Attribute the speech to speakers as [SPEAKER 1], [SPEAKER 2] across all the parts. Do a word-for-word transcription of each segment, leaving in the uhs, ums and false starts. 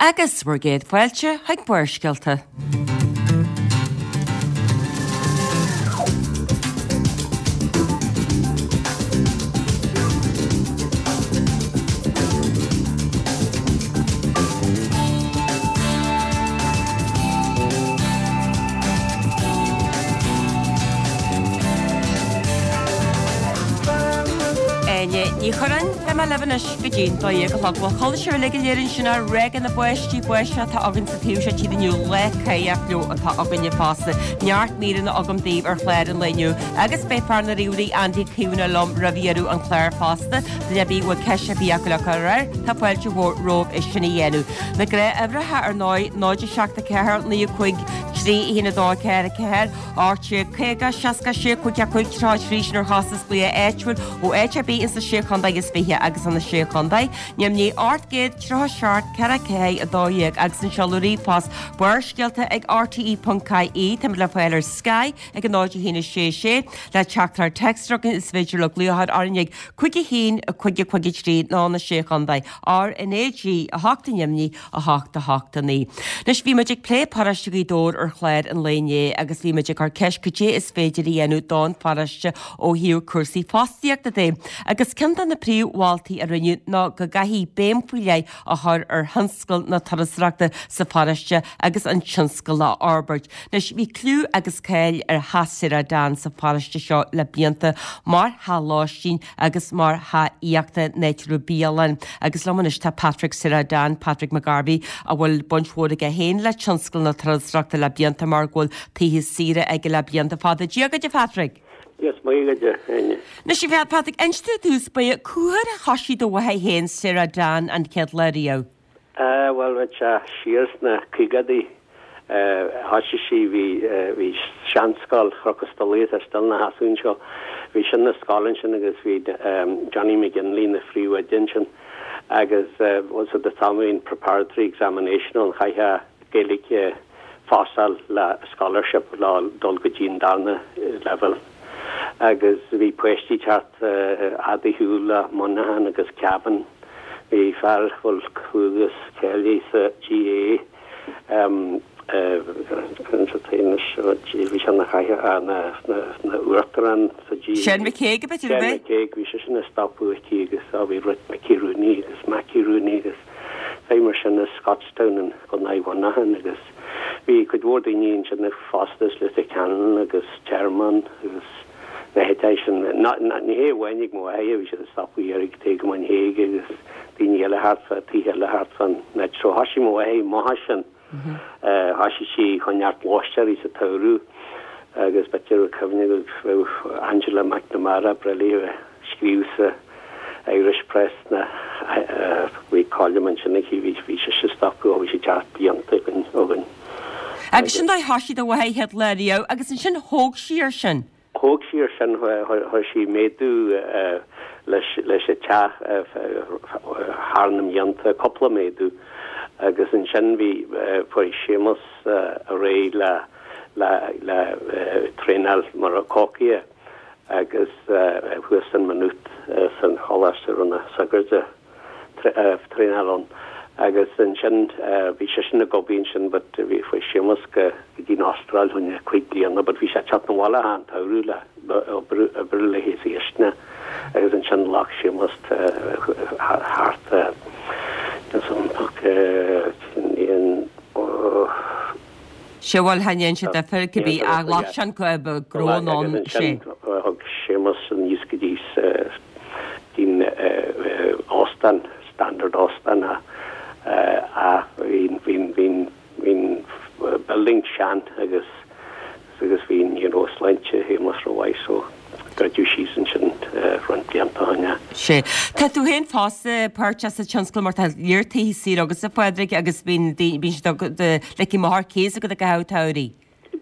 [SPEAKER 1] Agus bhur gcéad fáilte chuig Barrscéalta. Áine Ní Churráin, Beidh mé libh anois go dtí an dó dhéag a chlog. Bhuel, chuala sibh uilig go léir ansin ár rogha na báistí báisteach atá againn sa taobh seo tíre inniu, lá cáidheach leo atá againne fosta. Neart míreanna agam daoibh ar chlár an lae inniu agus beidh fear na ríomhairí Andy Caomhánach liom roimh dheireadh an chláir fosta. Duine ar bith a bhfuil ceist ar bith acu le cur air, tá fáilte mhór romhaibh é sin a dhéanamh. Na gnáthuimhreacha ar ndóigh, náid a seacht a ceathair, naoi a cúig, trí a haon a dó ceathair a ceathair, ocht déag caoga, seasca sé, cúig a cúig, tríocha a trí, sin ar chostas glaoch áitiúil ó áit ar bith insa Sé Chontae is Fiche agus sna Sé Chontae, neamhní ocht gcéad tríocha seacht ceithre ceathair a dó dhéag agus an seoladh ríomhphost Barrscéalta ag rte ponc ie. Táimid le fáil ar Sky ag a náid a haon a sé sé. Le teachtaireacht téacs a chugainn is féidir le glaoch orainn ag cúig a haon a cúig a cúig a trí ná na Sé Chontae, R N A G a hocht i nDoimní a hocht a hocht a naoi. Anois bhí muid ag plé paróiste Ghaoth Dobhair ar chlár an lae inné agus bhí muid ag cur ceist cad é is féidir a dhéanamh don pharóiste ó thaobh cúrsaí fostaíochta de. Agus ceann de na príomh-mholtaí a rinneadh ná go gcaithfí béim faoi leith a chur ar thionscal na turasóireachta sa pharóiste agus an tionscal a fhorbairt. Anois bhí cliú agus cáil ar Theach Saoire Dan sa pharóiste seo le blianta mar theach lóistín agus mar theach aíochta in áit a raibh bialann. Agus liom anois tá Patrick Sarah Dan, Patrick McGarvey, a bhfuil baint mhór aige féin le tionscal na turasóireachta le blianta mar go bhfuil tithe saoire aige le blianta fada. Dia dhuit a Phatrick!
[SPEAKER 2] Dia is Muire dhuit, a Áine.
[SPEAKER 1] Anois a Phatrick, inis domh ar dtús báire cá huair a thoisigh do mháthair féin Sarah Dan an chéad lá riamh?
[SPEAKER 2] Ah, bhuel, bheadh sé siar sna caogaidí. Thoisigh sí, bhí, bhí seanscoil Chnoc an Stolaire, tá still ina sheasamh anseo, bhí sin ina scoil ansin agus bhí Johnny McGinley ina phríomhoide ansin agus bhuel so the time bhí an preparatory examination ann chaithfeá Gaeilge phásáil le scholarship le dul go dtí an darna leibhéal agus bhí páistí ag teacht fhad ar shiúl le Muineachán agus Cavan. Bhí fear a bhfuil clú agus cáil air sa GAA, bhí sé ina chathaoirleach, ina uachtarán sa GAA.
[SPEAKER 1] Seán McCague, ab
[SPEAKER 2] é? Seán McCague, bhí seisean ag stopadh aici agus bhí Ruth Mickey Rooney agus Mackie Rooney agus fé mar sin as Scotstown in gContae Mhuineacháin agus bhí cuid mhór daoine ansin fosta as Leitir Ceanainn agus Tearmann agus na háiteacha sin. Ní hé amháin ag mo mháthair a bhí siad ag stopadh thiar ag Taobh Muin Thaidhg agus daoine eile thart fá, tithe eile thart fán áit. So thoisigh mo mháthair amach as sin. Thoisigh sí chun neart lóisteoirí sa tsamhradh agus b'fhéidir raibh cuimhne agat bheadh Angela McNamara breá léi a bheith ag scríobh sa Irish Press na bhí column ansin aici, bhí bhí sise ag stopadh ó bhí sí ag teacht blianta againn againn.
[SPEAKER 1] Agus sin dóigh thoisigh do mháthair chéad lá riamh agus ansin thóg sí ar sin.
[SPEAKER 2] Thóg sí ar sin, chuir sí méadú leis an teach thar na mblianta, cúpla méadú, agus ansin bhí, fuair Séamus ar aghaidh le le traenáil mar cócaire agus thuas in Maynooth san choláiste a raibh na sagairt ag traenáil ann agus ansin bhí seisean ag obair ansin but bhí chuaigh Séamus go dtí an Astráil fá choinne cúig bliana but bhí sé ag teacht 'na bhaile achan tsamhradh le oibriú léi sa chistin agus ansin ghlac Séamus thart
[SPEAKER 1] Sé bhuel chan dhein sé difear cibé ach ghlac sé an gnó anonn
[SPEAKER 2] Agus ansin thug Séamus aníos go dtí dtí'n óstán, Standard Óstán ach bhí bhí bhí an building sean agus agus bhí you know sláinte Shéamuis rómhaith so druideadh síos ansin roinnt blianta ó shin é.
[SPEAKER 1] Sea. Tá tú féin fosta páirteach sa tionscal mar tá lear tithe saoire agatsa a Phádraig agus bíonn bíonn siad ligthe amach ar cíos agat i gcaitheamh an tsamhraidh.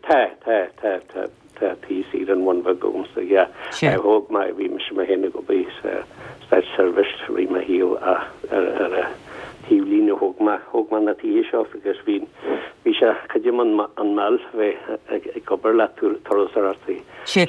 [SPEAKER 2] Tá, tá, tá, tá, tá tí saoire an Bhun Bhig agamsa, yeah.
[SPEAKER 1] Sea.
[SPEAKER 2] Thóg mé, bhí mise mé féin ag obair sa státseirbhís i rith mo shaoil ach ar ar an taobhlíne thóg thóg mé thóg mé na tithe seo agus bhí bhí sé creidim an an mall bheith ag ag obair le turasóireachtaí.
[SPEAKER 1] Sé.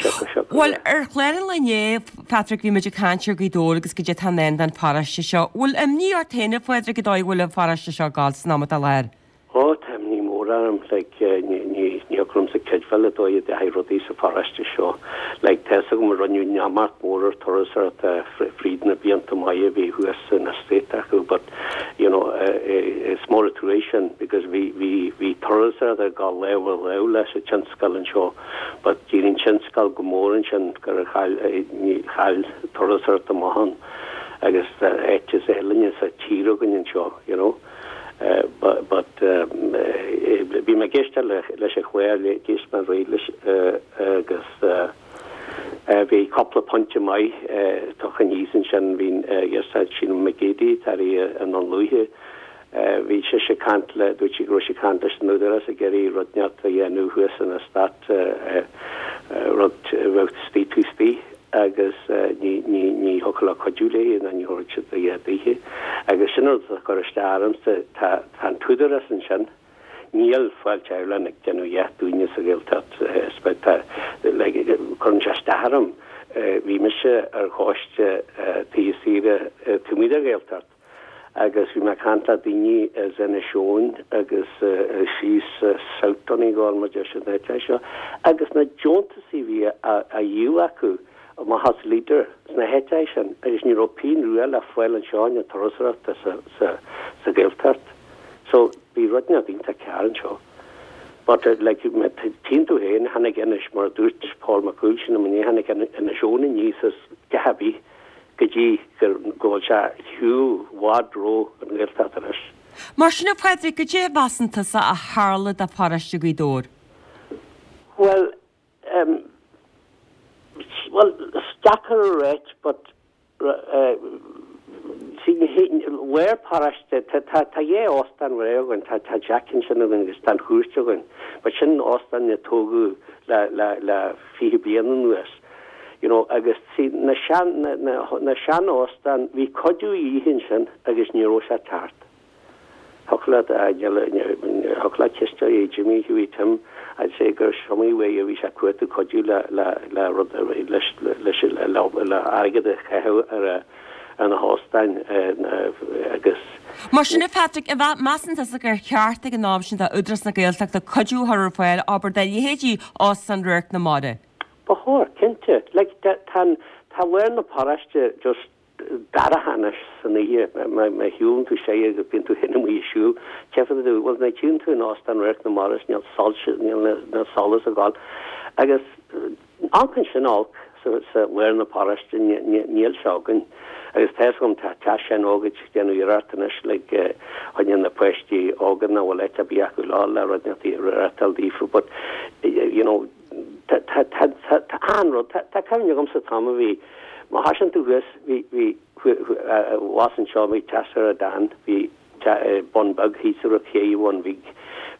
[SPEAKER 1] Bhuel ar chlár an lae inné Patrick bhí muid ag caint ar Ghaoth Dobhair agus goidé atá i ndán don pharóiste seo. Bhfuil imní ort féin a Phádraig an dóigh a bhfuil an pharóiste seo ag gabháil san am atá i láthair?
[SPEAKER 2] Ó tá imní mór orm like ní ní ní thiocfadh liomsa creidbheáil an dóigh a dteachaidh rudaí sa pharóiste seo. Like tá fhios agam a rinneadh neamart mór ar turasóireacht fríd na blianta maithe a bhí thuas san estate acu but you know is mór an trua sin because bhí bhí bhí turasóireacht ag dul lámh i lámh leis an tionscal anseo but d'éirigh an tionscal go mór ansin gur chaill ní chaill turasóireacht amach ann agus áit is álainne sa tír againn anseo you know. But but bhí mé ag éisteacht leis an chlár d'éist mé réidh leis agus bhí cúpla pointe maith tugtha aníos ansin bhí yes Síle Mhic Géidigh tar i an an luaithe bhí sé ag caint le dúirt sí go raibh sí ag caint leis an údarás ag iarraidh rud inteacht a dhéanamh thuas in estate rud a bheadh istigh taobh istigh agus ní ní ní thiocfadh leo cuidiú léi ná ní thabharfadh siad a dhath daoithe. Agus sin rud a chuir isteach ormsa, tá tá an t-údarás ansin, níl Fáilte Ireland ag déanamh a dhath dúinne sa Ghaeltacht, tá like cuireann sé isteach orm. Bhí mise ar choiste tithe saoire taobh amuigh den Ghaeltacht agus bhí mé ag caint le daoine as Inis Eoghain agus síos South Donegal mar deir siad na háiteacha seo agus na deontasaí a bhí á dhíol acu amach as Leader sna háiteacha sin agus ní raibh pingin rua le fáil anseo na turasóireachta sa sa sa Ghaeltacht. So bhí rud inteacht iontach cearr anseo. But uh, like tchíonn tú féin tháinig Inis mar dúirt Paul McCool sin am tháinig Inis Eoghain aníos as a dhath ar bith go dtí go bhfuil sé shiúl i bhfad roimh an Ghaeltacht anois.
[SPEAKER 1] Mar sin a Phádraig goidé a mheasann tusa a tharla do pharóiste Ghaoth Dobhair.
[SPEAKER 2] Well um, well is deacair a ráit but uh, lár paróiste tá tá dhá óstán againn tá tá Jack ansin againn agus tá an Chúirt againn, but sin óstán a tógadh le le le fiche bliain anuas. You know, agus sí na sean na, na, na sean óstán bhí cuidiú de dhíth ansin agus ní raibh sé tart. Thula thula ciste é Jimmy Hughie Tim I'd say gur siomaí way a bhí sé cuat cuidiú le le le rud leis leis le le airgead a chaitheamh ar ar na hóstáin agus
[SPEAKER 1] Mar sin Patrick a measann tusa gur cheart ag an am sin d'Údarás na Gaeltachta cuidiú a chur ar fáil abair do leithéidí Óstán Radharc na Mara.
[SPEAKER 2] Ba chóir cinnte like tá tá lár na paróiste just dorcha anois san oíche má shiúlann tú sé agus bíonn tú féin amuigh ag siúl ceapann tú bhfuil na tchíonn tú in Óstán Radharc na Mara níl soilse níl na solas ag gabháil agus an sin olc sa sa lár na paróiste níl sé againn agus tá um tá tá sin ógad déanamh iarracht anois le choinne na páistí óga na bhfuil áit ar bith acu lá le rud reáchtáil daofa but you know tá tá tá tá an rud tá cuimhne agam sa t-am a bhí má thosaíonn tú thuas bhí bhí was anseo bhí Teach Dan bhí Bun Beag thíos ar ché bhun bhí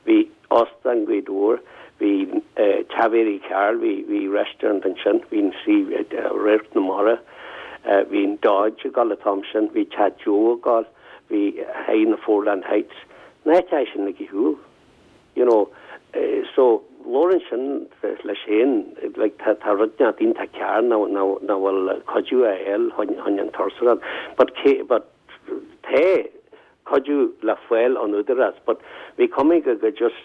[SPEAKER 2] bhí Óstán Ghaoth Dobhair bhí Teach Mhary Carroll bhí bhí restaurant ansin bhí sí Radharc na Mara bhí an Dodge ag gabháil an t-am sin bhí Teach Joe ag gabháil bhí High na Foreland Heights na sin ag siúl you know uh, so labhrann sin leis féin like tá tá rud inteacht iontach cearr ná ná ná bhfuil cuidiú a fháil chun an turasóireacht but cé but tá cuidiú le fáil ón údarás but bhí cuma go go just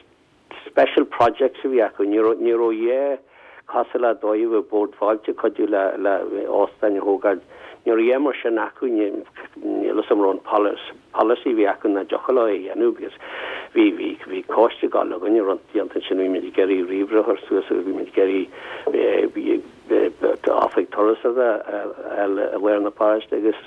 [SPEAKER 2] special projects a bhí acu ní ní raibh é cosúil le dóibh a Bord Fáilte cuidiú le le óstáin a thógáil ní raibh mar sin acu níl sam an policy bhí acu na deochail a dhéanamh because bhí bhí bhí coiste gal againne run déanta sin bhí muid ag iarraidh ríomhaire a chur suas agus bhí muid ag iarraidh oifig turas a i lár na paróiste agus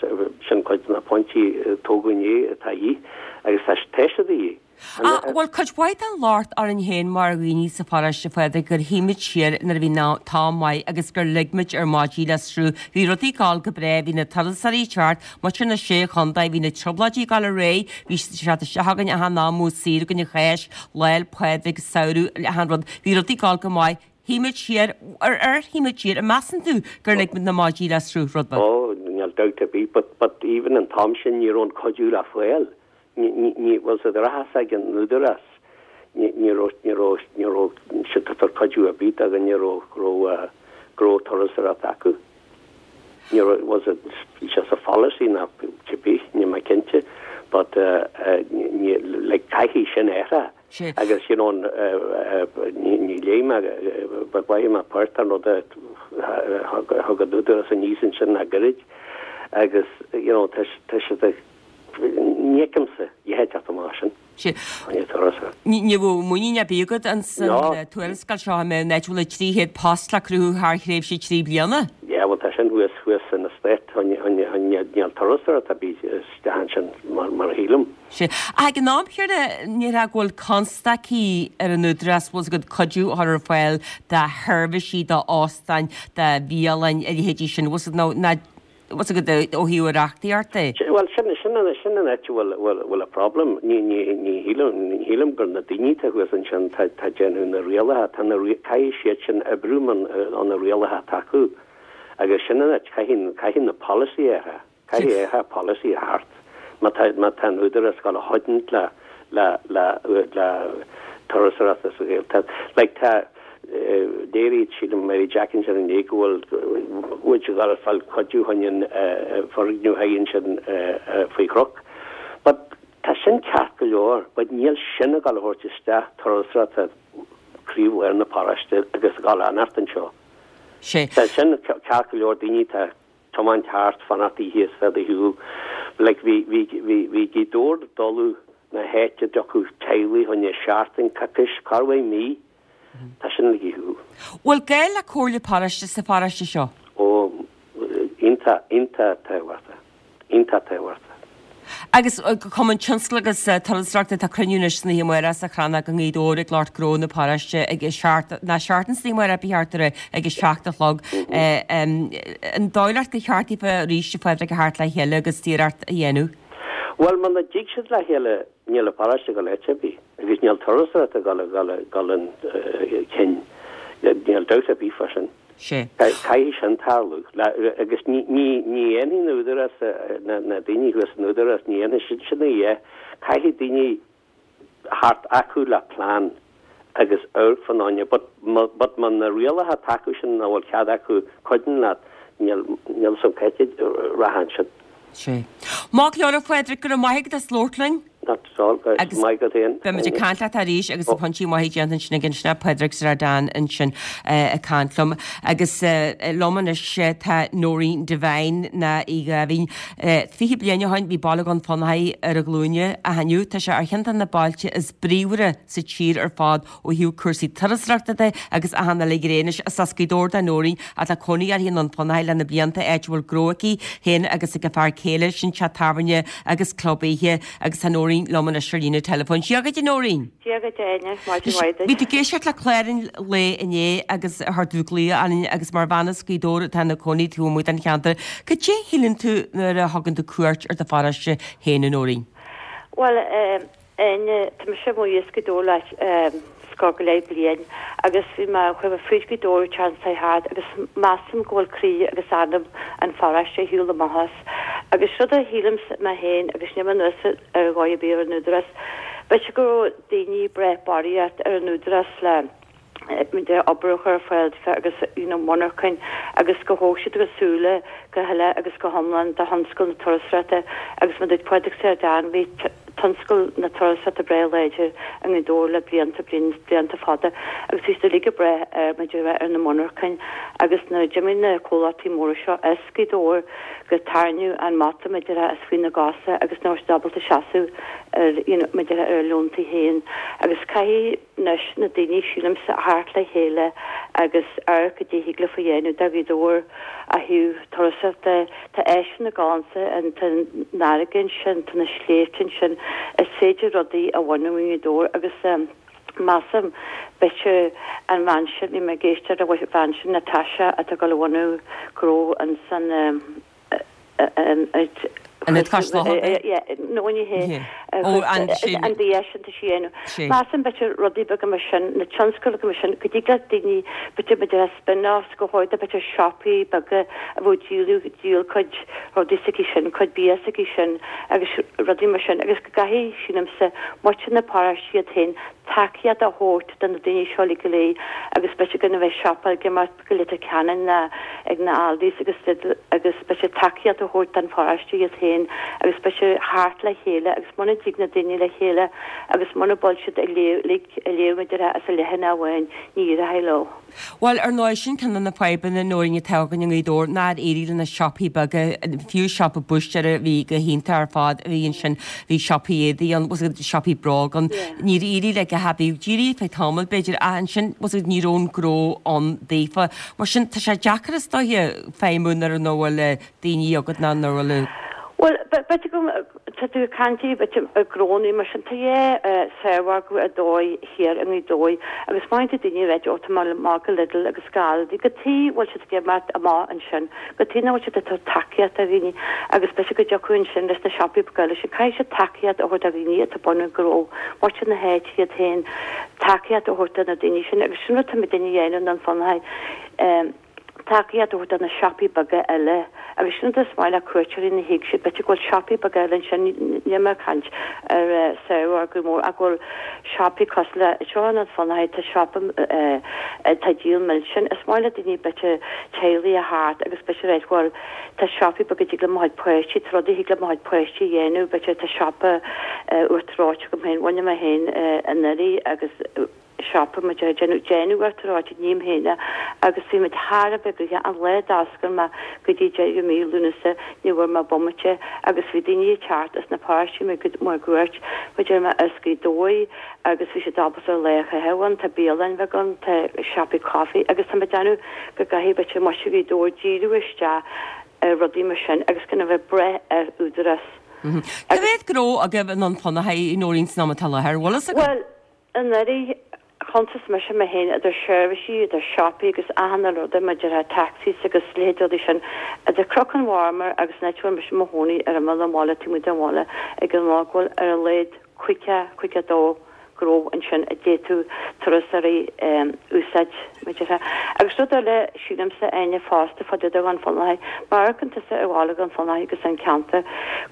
[SPEAKER 2] sin cuid de na pointí tógadh inné atá í agus tá tá siad í.
[SPEAKER 1] Ah, bhfuil cuid mhaith den locht orainn féin mar dhaoine sa pharóiste Phádraig gur shuigh muid siar nuair a bhí an t-am maith agus gur lig muid ár maidí le sruth. Bhí rudaí ag gabháil go breá, bhí na turasóirí ag teacht, muintir na sé chontae, bhí na trioblóidí ag gabháil ar aghaidh, bhí siad isteach againn achan am ó saor againn an Cháisc, Lá 'le Pádraig, samhradh, achan rud. Bhí rudaí ag gabháil go maith. Shuigh muid siar ar ar shuigh muid siar, an measann tú gur lig muid na maidí le sruth rud beag?
[SPEAKER 2] Oh, níl doubt ar bith, but, but even an t-am sin ní raibh an cuidiú le fáil. ní bhfuil sa rachas ag an údarás ní ní raibh ní raibh ní raibh siad ag tabhairt cuidiú ar bith agus ní raibh raibh go raibh turasóireacht acu. Ní raibh was it just a policy ná cibé ní mé cinnte but uh, uh, ní like caithfidh sin athrú.
[SPEAKER 1] Sé.
[SPEAKER 2] Agus you know ní ní léigh mé ba mhaith mé páirt an rud a thug an údarás aníos ansin le gairid agus you know tá tá siad ag ní fheicimse a theacht amach sin.
[SPEAKER 1] Sé.
[SPEAKER 2] Ní turasóireacht.
[SPEAKER 1] Ní ní bhfuil muinín ar bith agat an san
[SPEAKER 2] No.
[SPEAKER 1] tuarascáil seo me net bhfuil trí chéad post le cruthú thar thréimhse trí bliana.
[SPEAKER 2] Ja, well tá sin thuas thuas in stát níl turasóireacht ar bith isteach sin mar mar shílim.
[SPEAKER 1] Sé. Ag an am céanna ní ra go bhfuil constaicí ar an údarás bhfuil go cuidiú a chur ar fáil do sheirbhísí do óstáin do bhialann a leithéidí sin bhfuil nó ná bhfuil go ó thaobh reachtaíocht é.
[SPEAKER 2] Well sin sin an sin an áit bhfuil bhfuil bhfuil a problem ní ní ní shílim ní shílim gur na daoine tá thuas ansin tá tá déanamh na rialacha tá na caithfidh siad sin oibriú an an na rialacha atá acu agus sin an áit caithfidh caithfidh na policy athrú caithfidh athrú policy a theacht má tá má tá an údarás ag gabháil a choinneáil le le le le turasóireacht sa Ghaeltacht like tá léiríd sílim Mary Jackinson an é go bhfuil bhfuil sé ag fáil cuidiú chun an foirgneamh haon sin faoi chnoc. But tá sin ceart go leor, but níl sin ag gabháil a thabhairt isteach turasóireacht croílár na paróiste agus ag gabháil a fhanacht anseo.
[SPEAKER 1] Sé.
[SPEAKER 2] Tá sin ceart go leor daoine tá tiomáint thart fanacht oíche is bheith ar shiúl. Like bhí bhí bhí bhí Gaoth Dobhair dul na háite dtiocfadh teaghlaigh chun seachtain coicís corruair mí tá sin ag shiúl.
[SPEAKER 1] Bhfuil gaol le comhairle paróiste sa pharóiste seo?
[SPEAKER 2] Ó iontach iontach tábhachtach iontach tábhachtach.
[SPEAKER 1] Agus Cumann Tionscail agus Turasóireachta tá cruinniú anois san oíche amárach sa Chrannóg i nGaoth Dobhair ag lucht gnó na paróiste ag a seacht na seachtain san oíche amárach ba cheart ag a seacht a chlog. An dóigh leat gur cheart daofa arís a Phádraig a theacht le chéile agus iarracht a dhéanamh.
[SPEAKER 2] Well muna dtig siad le chéile níl an paróiste ag gabháil áit ar bith agus níl turasóireacht ag gabháil gabháil gabháil chun níl dabht ar bith faoi sin.
[SPEAKER 1] Sé.
[SPEAKER 2] Caithfidh sin tarlú agus ní ní ní dhéanfaidh na údarás na na daoine thuas an údarás ní dhéanfaidh siad sin é caithfidh daoine theacht acu le plean agus amharc fan áine but but má na rialacha atá acu sin nach bhfuil cead acu cuidiú leat níl níl sam ceite rahan sin.
[SPEAKER 1] Sé. Má leor Phádraig go raibh maith agat as labhairt linn?
[SPEAKER 2] Not all
[SPEAKER 1] Agus
[SPEAKER 2] maith agat féin.
[SPEAKER 1] Beimid ag caint leat arís agus pointí maithe déanta ansin ag sin Pádraig Sardán ansin ag caint liom agus liom anois tá Noreen Devine na í Gavin. Fiche bliain ó shin bhí baile Dhún Fionnachaidh ar a ghlúine ach inniu tá sé ar cheann de na bailte is bríomhaire sa tír ar fad ó thaobh cúrsaí turasóireachta de agus achan eile gréinis is as Gaoth Dobhair do Noreen atá cónaí uirthi i nDún Fionnachaidh le na blianta áit a bhfuil gnó aici féin agus ag a fear céile sin teach tábhairne agus club oíche agus tá Noreen liom anois ar líne telefón. Dia dhuit Noreen.
[SPEAKER 3] Dia dhuit Áine maidin
[SPEAKER 1] Bhí tú ag éisteacht le clár an lae inné agus chuir tú glaoch orainn agus mar bhean as Gaoth Dobhair atá ina cónaí taobh amuigh den cheantar. Cad é a shíleann tú nuair a thugann tú cuairt ar do pharóiste féin a Noreen?
[SPEAKER 3] Well Áine tá mise amuigh as Gaoth Dobhair le scór go leith bliain agus bhí mé chuir fríd Gaoth Dobhair sean thart agus measaim go bhfuil croí agus anam an pharóiste ar shiúl amach as agus rud a shílim mé féin agus ní anuas ar dhóigh ar bith ar an údarás B'fhéidir go raibh daoine breith barraíocht ar an údarás le de obair a chur ar fáil agus you know, monarchain agus go thóg siad go súile go huile agus go hiomlán de thionscal na turasóireachta agus mar dúirt Pádraig Sardán bhí tionscal na turasóireachta breá láidir i nGaoth Dobhair le blianta blianta fada agus bhí siad ag breith ar ar na monarchain agus na d'imigh na comhlachtaí móra seo as Gaoth Dobhair go tarraingíodh an mata idir as faoi na gcosa agus ná ábalta seasamh ar you know, ar a leontaí féin agus caithfidh anois na daoine sílimse theacht le chéile agus ar go dtí le fa dhéanamh de Ghaoth Dobhair ó thaobh turasóireachta tá éis na gáinsa an nágan sin tá na sléibhte sin is féidir rudaí a bhunú i nGaoth Dobhair agus um, measaim b'fhéidir an bhean sin bhí mé ag éisteacht le bhean sin Natasha atá ag gabháil a bhunú gnó ansan um,
[SPEAKER 1] Ionad Cois Locha?
[SPEAKER 3] No ní hé. An bia sin tá sí a dhéanamh. Measaim b'fhéidir rudaí beaga mar sin, na tionscail beaga mar sin, go dtig le daoine b'fhéidir b'fhéidir spin-offs go háirithe b'fhéidir siopaí beaga a bheadh díol díol cuid rudaí s'aici sin, cuid bia s'aici sin agus rudaí mar sin agus go gcaithfidh sílimse muintir na paróiste iad féin tacaíocht a thabhairt do na daoine seo uilig go léir agus b'fhéidir gan a bheith siopa ag imeacht go Leitir Ceanainn ná ag na Aldis agus Lidl agus b'fhéidir tacaíocht a thabhairt don pharóiste iad féin agus b'fhéidir theacht le chéile agus muna dtig na daoine le chéile agus muna bhfuil siad ag léamh ag léamh maidir as a leathanach amháin ní éireoidh leo.
[SPEAKER 1] Bhuel, ar ndóigh, sin ceann de na fadhbanna Nóirín atá againn i nGaoth Dobhair, nár éirigh le na siopaí beaga, fiú siopa búistéara a bhí go hiontach ar fad a bhí ansin, bhí siopaí éadaí ann, bhfuil a fhios agat, siopaí bróg ann, níor éirigh le go bhí d'éirigh feadh tamaill b'fhéidir ach ansin bhfuil a fhios agat ní raibh an gnó ann daofa. Mar sin tá sé deacair is dóiche feidhmiú nuair nach bhfuil daoine agat ná nuair bhfuil
[SPEAKER 3] Bhuel, b'fhéidir go tá tú ag caint b'fhéidir ar gnónnaí mar sin, tá dhá saormhargadh ar dóigh thiar i nGaoth Dobhair agus má théann daoine ag ráit ó tá mé amach go Lidl agus go Aldi, cad chuige a bhfuil siad ag imeacht amach ansin, cad chuige nach bhfuil siad ag tabhairt tacaíocht do dhaoine agus b'fhéidir go dtiocfadh ansin leis na siopaí beaga eile sin, caithfidh siad tacaíocht a thabhairt do dhaoine atá ag bunú gnó, muintir na háite iad féin, tacaíocht a thabhairt do na daoine sin agus sin rud atá muidinne a dhéanamh i nDún Fionnachaidh. Tacaíocht a thabhairt do na siopaí beaga eile agus sin rud is maith le cuairteoirí nuair a thig siad, b'fhéidir go bhfuil siopaí beaga eile ansin, níl mé ag caint ar saormhargadh mór ach go bhfuil siopaí cosúil le seo i nDún Fionnachaidh, tá siopa atá ag díol milseáin, is maith le daoine b'fhéidir teaghlaigh a theacht agus b'fhéidir ráit bhuel tá siopaí beaga a dtig le mo chuid páistí, tá rudaí a thig le mo chuid páistí a dhéanamh, b'fhéidir tá siopa uachtar reoite agam féin, bhunaigh mé féin anuraidh agus. siopa muid ag déanamh déanamh uachtar reoite ním féin é agus bhí muid thar a bheith gnoitheach an lá a d'oscail mé go dtí deireadh mí Lúnasa ní bhfuair mé bomaite agus bhí daoine ag teacht as na paróistí máguaird muid ar as Gaoth Dobhair agus bhí siad ábalta lá a chaitheamh ann tá bialann bheag ann tá siopaí coffee agus tá mé ag déanamh go gcaithfidh b'fhéidir muintir Ghaoth Dobhair díriú isteach ar rudaí mar sin agus gan a bheith ag brath ar údarás.
[SPEAKER 1] Cá mhéad gnó agaibh i nDún Fionnachaidh a Nóirín san am atá i láthair, bhfuil fhios agat?
[SPEAKER 3] Bhuel, anuraidh, chuntas mise mé féin idir seirbhísí, idir siopaí agus achan uile rud maidir le taxis agus leithéid rudaí sin, idir Cnoc an Mharmair agus an áit a bhfuil mise i mo chónaí ar imeall an bhaile, taobh amuigh den bhaile, ag an lá go bhfuil ar a laghad caoga, caoga a dó gnó ansin a d'fhéadfadh turasóirí úsáid maidir le. Agus rud eile, sílimse, Áine, fosta, fá dtaobh de Dhún Fionnachaidh, má amharcann tusa ar bhaile Dhún Fionnachaidh agus an ceantar,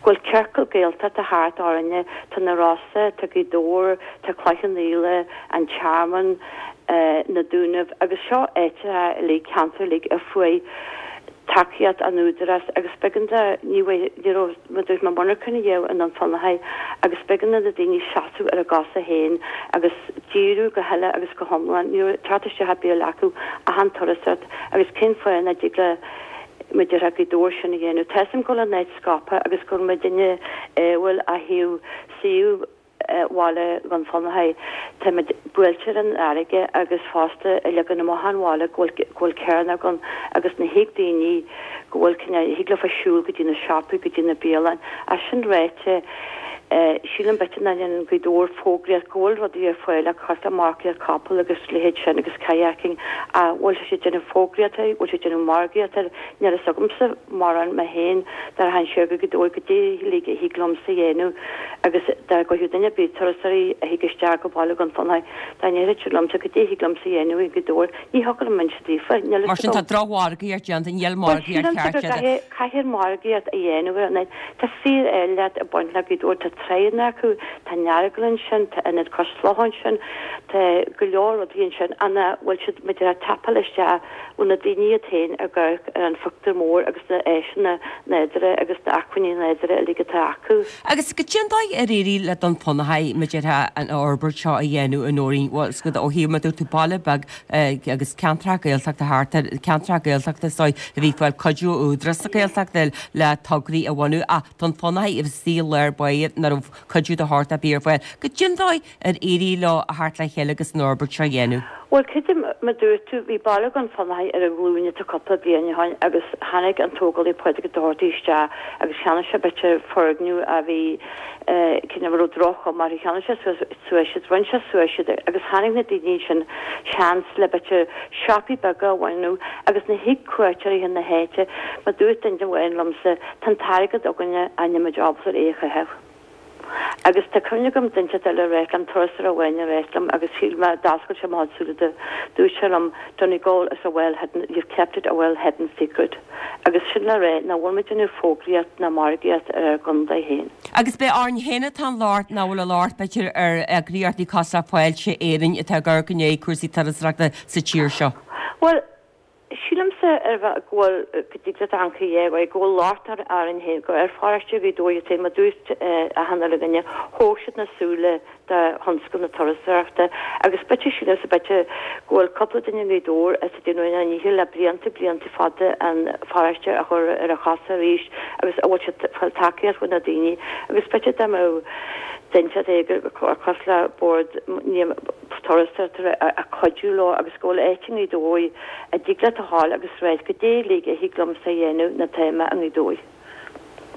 [SPEAKER 3] go bhfuil ciorcal Gaeltachta thart orainne, tá na Rosa, tá Gaoth Dobhair, Tá Cloich Cheann Fhaola, An Tearmann, Na Dúnaibh agus seo áiteacha uilig, ceantair uilig a fuair tacaíocht an Údarás agus b'éigean do, ní bhfuair, ní raibh, mar dúirt mé, monarcha a dhéanamh i nDún Fionnachaidh agus b'éigean do na daoine seasamh ar a gcosa féin agus díriú go huile agus go hiomlán, ní raibh teacht isteach ar bith acu ach an turasóireacht agus cén fáth nach dtig le muintir Ghaoth Dobhair sin a dhéanamh. Tá 'fhios a'm go bhfuil an áit scaipthe agus go bhfuil muidinne ádhúil ó thaobh suíomh bhaile Dhún Fionnachaidh. Táimid buailte ar an fharraige agus fosta ag leagan amach an bhaile go bhfuil go bhfuil cearnóg ann agus ní thig daoine go bhfuil cineál thig leofa siúl go dtí na siopaí go dtí na bialann. Ach sin ráite sílim b'fhéidir nach ndéanann Gaoth Dobhair fógraíocht go bhfuil rudaí ar fáil le cosúil le marcaíocht capall agus leithéid sin agus kayaking ach bhfuil sé ag déanamh fógraíocht air bhfuil sé ag déanamh margaíocht air níl fhios agamsa mórán mé féin dá rachainn siar go Gaoth Dobhair goidé uilig a thig liomsa a dhéanamh agus dá gcuirfeadh duine ar bith, turasóirí a thig isteach go baile Dhún Fionnachaidh, dá ndéarfadh siad liomsa goidé a thig liomsa a dhéanamh i nGaoth Dobhair, ní thiocfadh liom inse daofa, níl
[SPEAKER 1] Mar
[SPEAKER 3] fhios
[SPEAKER 1] sin tá
[SPEAKER 3] agam.
[SPEAKER 1] drochmhargaíocht déanta, níl
[SPEAKER 3] Bhuel,
[SPEAKER 1] margaíocht
[SPEAKER 3] sílimse
[SPEAKER 1] cheart
[SPEAKER 3] go
[SPEAKER 1] déanta.
[SPEAKER 3] gcaithfidh, caithfear margaíocht a dhéanamh ar an áit. Tá fíor-áilleacht ag baint le Gaoth Dobhair, tá tránna acu, tá an Earagail ansin, tá Ionad Cois Locha ansin, tá go leor rudaí ansin ina bhfuil siad, maidir le tapáil isteach ó na daoine iad féin ag amharc ar an phictiúr mór agus na áiseanna nádúrtha agus na acmhainní nádúrtha uilig atá acu.
[SPEAKER 1] Agus goidé an dóigh ar éirigh le Dún Fionnachaidh maidir le an fhorbairt seo a dhéanamh a Nóirín, bhuel, is ó thaobh mar dúirt tú baile beag agus ceantracha Gaeltachta thart air, ceantracha Gaeltachta is dóigh a bhí ag fáil cuidiú ó Údarás na Gaeltachta le tograí a bhunú ach Dún Fionnachaidh a bhí istigh i lár báire na nach raibh cuidiú de shórt ar bith ar fáil. Goidé an dóigh ar éirigh leo a theacht le chéile agus an fhorbairt seo a dhéanamh.
[SPEAKER 3] Bhuel, creidim, mar dúirt tú, bhí baile Dhún Fionnachaidh ar a ghlúine tá cúpla bliain ó shin agus tháinig an tógálaí Pádraig Ó Dochartaigh isteach agus cheannaigh sé b'fhéidir foirgneamh a bhí cineál a raibh droch-chuma orthu, cheannaigh sé suas suas iad, rinne sé suas iad agus tháinig na daoine sin seans le b'fhéidir siopaí beaga a bhunú agus nuair a thig cuairteoirí chun na háite, mar dúirt duine amháin liomsa, tá an t-airgead againne ach níl muid ábalta é a chaitheamh. Agus tá cuimhne agam duine eile a ráit liom, turasóir amháin a ráit liom agus shíl mé, d'oscail sé mo chuid súile do, dúirt sé liom, Donegal is a well hidden, you've kept it a well hidden secret. Agus sin le rá nach bhfuil muid ag déanamh fógraíocht ná margaíocht ar ár gcontae féin.
[SPEAKER 1] Agus b'é orainn féin atá an locht nach bhfuil an locht b'fhéidir ar eagraíochtaí cosúil le Fáilte Éireann atá ag amharc i ndiaidh cúrsaí turasóireachta sa tír seo.
[SPEAKER 3] Bhuel, Sílimse ar bheith go bhfuil, go dtig leat amharc a dhéanamh, go bhfuil locht orainn féin, go ar pharóiste Ghaoth Dobhair iad féin, mar dúirt achan uile dhuine, thóg siad na súile de thionscal na turasóireachta agus b'fhéidir, sílimse, b'fhéidir go bhfuil cúpla duine i nGaoth Dobhair atá ag déanamh a ndícheall le blianta, blianta fada an pharóiste a chur ar a chosa arís agus a bhfuil siad ag fáil tacaíocht ó na daoine agus b'fhéidir dá mbeadh duine éigin cosúil le bord turasóireachta ag cuidiú leo agus go bhfuil áit i nGaoth Dobhair a dtig leat a ghabháil agus ráit goidé uilig a thig liomsa a dhéanamh nuair atá mé i nGaoth Dobhair.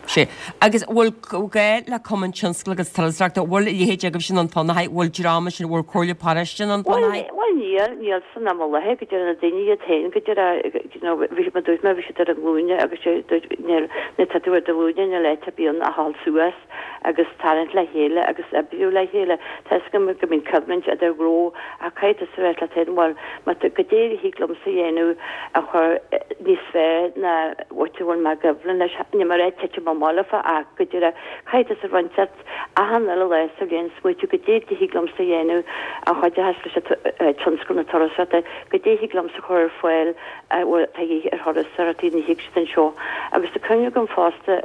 [SPEAKER 1] Sea. Agus bhfuil gá le Cumann Tionscail agus Turasóireachta, bhfuil a leithéid agaibhse i nDún Fionnachaidh, bhfuil dream ansin, bhfuil Comhairle Paróiste i nDún
[SPEAKER 3] Fionnachaidh? Bhuel, níl, níl san am i láthair, go dtí na daoine iad féin, go dtí, you know, bhí, mar dúirt mé, bhí siad ar a nglúine agus dúirt, níl, nuair atá tú ar do ghlúine níl áit ar bith ann a ghabháil suas. agus tarraingt le chéile agus oibriú le chéile. Tá 'fhios agam go mbíonn coimhlint idir ghnó ach caithfidh tusa a rá leat féin, bhuel, má tá, goidé a thig liomsa a dhéanamh a chur níos fearr ná áit a bhfuil mé i gcoimhlint leis. Níl mé ag rá titim amach leofa ach go díreach caithfidh tusa roinnt leat achan uile lá sa bhliain smaoitiú goidé a thig liomsa a dhéanamh a chuideochas leis an tionscal na turasóireachta, goidé a thig liomsa a chur ar fáil a bhfuil de dhíth ar thurasóirí nuair a thig siad anseo. Agus tá cuimhne agam fosta,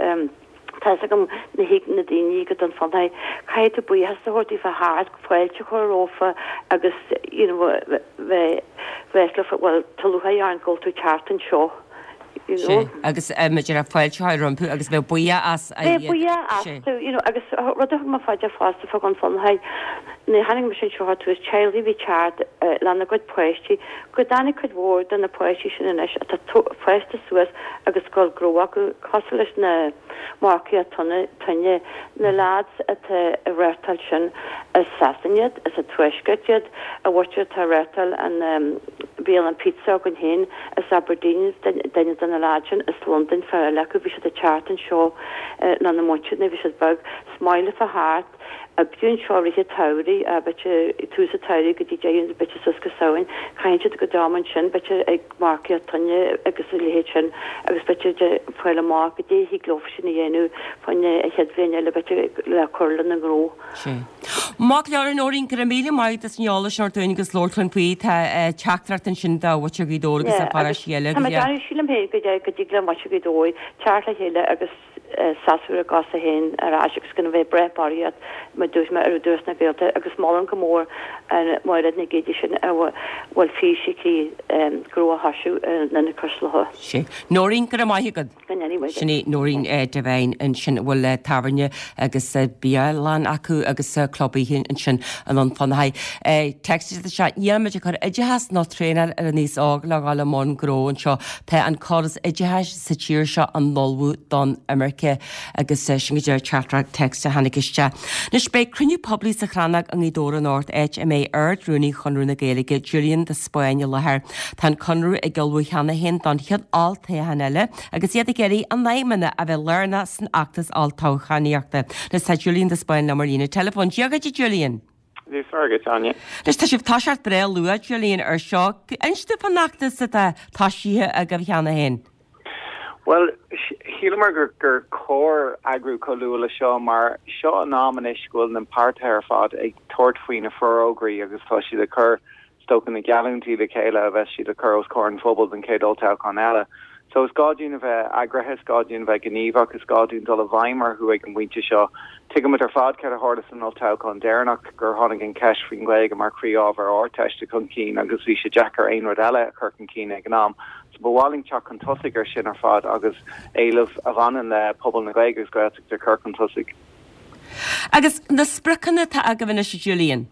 [SPEAKER 3] Tá 'fhios agam nuair a thig na daoine go Dún Fionnachaidh, caithfidh tú buíochas a thabhairt daofa thart, fáilte a chur rompu agus you know bheith bheith leofa, bhuel tá lúcháir orainn go bhfuil tú ag teacht anseo, you know.
[SPEAKER 1] Sea, agus maidir le fáilte a chur rompu agus bheith buíoch as a
[SPEAKER 3] Bheith buíoch astu, you know, agus rud a thug mé fá dear fosta fá Dhún Fionnachaidh, nuair a tháinig mise anseo ar tús, teaghlaigh a bhí ag teacht lena gcuid páistí, go dtáinig cuid mhór de na páistí sin anois atá fásta suas agus go bhfuil gnó acu, cosúil leis na marcaigh toinne, na lads atá ag reáchtáil sin, as Sasana iad, as an Tuaisceart iad, an mhuintir atá ag reáchtáil an bialann pizza againn féin, as Aberdeen duine de na lads sin, as Londain fear eile acu, bhí siad ag teacht anseo lena muintir nuair a bhí siad beag, is maith leofa theacht, oibriú anseo i rith an tsamhraidh, b'fhéidir tús an tsamhraidh go dtí deireadh, b'fhéidir suas go Samhain, caitheann siad a gcuid ama ansin, b'fhéidir ag marcaíocht toinne agus a leithéid sin agus b'fhéidir ag fáil amach goidé a thig leofa sin a dhéanamh fá choinne an chéad bhliain eile, b'fhéidir le cur lena ngnó.
[SPEAKER 1] Sea. Maith go leor, a Nóirín, go raibh míle maith agat as an eolas sin a thabhairt dúinn agus labhairt linn faoi. Tá teachtaireacht ansin do mhuintir Ghaoth Dobhair agus
[SPEAKER 3] Yeah,
[SPEAKER 1] na paróistí eile
[SPEAKER 3] tá
[SPEAKER 1] agus
[SPEAKER 3] mé ag
[SPEAKER 1] yeah.
[SPEAKER 3] déanamh, sílim féin go dtig le muintir Ghaoth Dobhair teacht le chéile agus seasamh ar a gcosa féin ar ais agus gan a bheith ag brath barraíocht mar dúirt mé ar Údarás na Gaeltachta agus molaim go mór an Mairéad Nic Géidigh sin a bhfuil fís aici gnó a thoisiú in Ionad Cois Locha.
[SPEAKER 1] Sea. Nóirín, go raibh maith agat.
[SPEAKER 3] Go ndéanaí muid.
[SPEAKER 1] Sin í Nóirín Devine ansin a bhfuil tábhairne agus bialann acu agus club oíche ansin i nDún Fionnachaidh. Téacs isteach, níl muid ag cur oideachas nó traenáil ar an aos óg le dhul i mbun gnó anseo. Tá an córas oideachais sa tír seo an-ullmhú don imirce agus sin go díreach teachtaireacht text a tháinig isteach. Anois beidh cruinniú poiblí sa Chrannóg i nGaoth Dobhair anocht, áit a mbeidh Ard-Rúnaí Chonradh na Gaeilge, Julian de Spáinn i láthair. Tá an Conradh ag ullmhú cheana féin don chéad olltoghchán eile agus iad ag iarraidh a n-aidhmeanna a bheith lárnach san fheachtas olltoghchánaíochta. Anois tá Julian de Spáinn liom ar líne teileafóin. Dia dhuit a Julian!
[SPEAKER 4] Dia is Muire dhuit, Áine.
[SPEAKER 1] Anois tá sibh ag toiseacht breá luath, Julian, ar seo. Inis dúinn fán fheachtas atá toisithe agaibh cheana féin.
[SPEAKER 4] Bhuel, shíleamar gur gur chóir eagrú chomh luath le seo mar seo an am anois go bhfuil na páirtithe ar fad ag tabhairt faoi na forógraí agus tá siad ag cur is dócha na geallúintí le chéile a bheas siad ag cur os comhair an phobail don chéad olltoghchán eile. So is gá dúinn a bheith eagraithe, is gá dúinn a bheith gníomhach, is gá dúinn dul i bhfeidhm orthu ag an bpointe seo. Tuigimid ar fad céard a tharla san olltoghchán deireanach, gur tháinig an cheist faoin Ghaeilge mar chroí-ábhar Ardteiste chun cinn agus bhí sé deacair aon rud eile a chur chun cinn ag an am. So ba mhaith linn teacht chun tosaigh ar sin ar fad agus éilimh a bhaineann le pobal na Gaeilge agus Gaeltachta a chur chun tosaigh.
[SPEAKER 1] Agus na spriocanna atá agaibh anois Julian.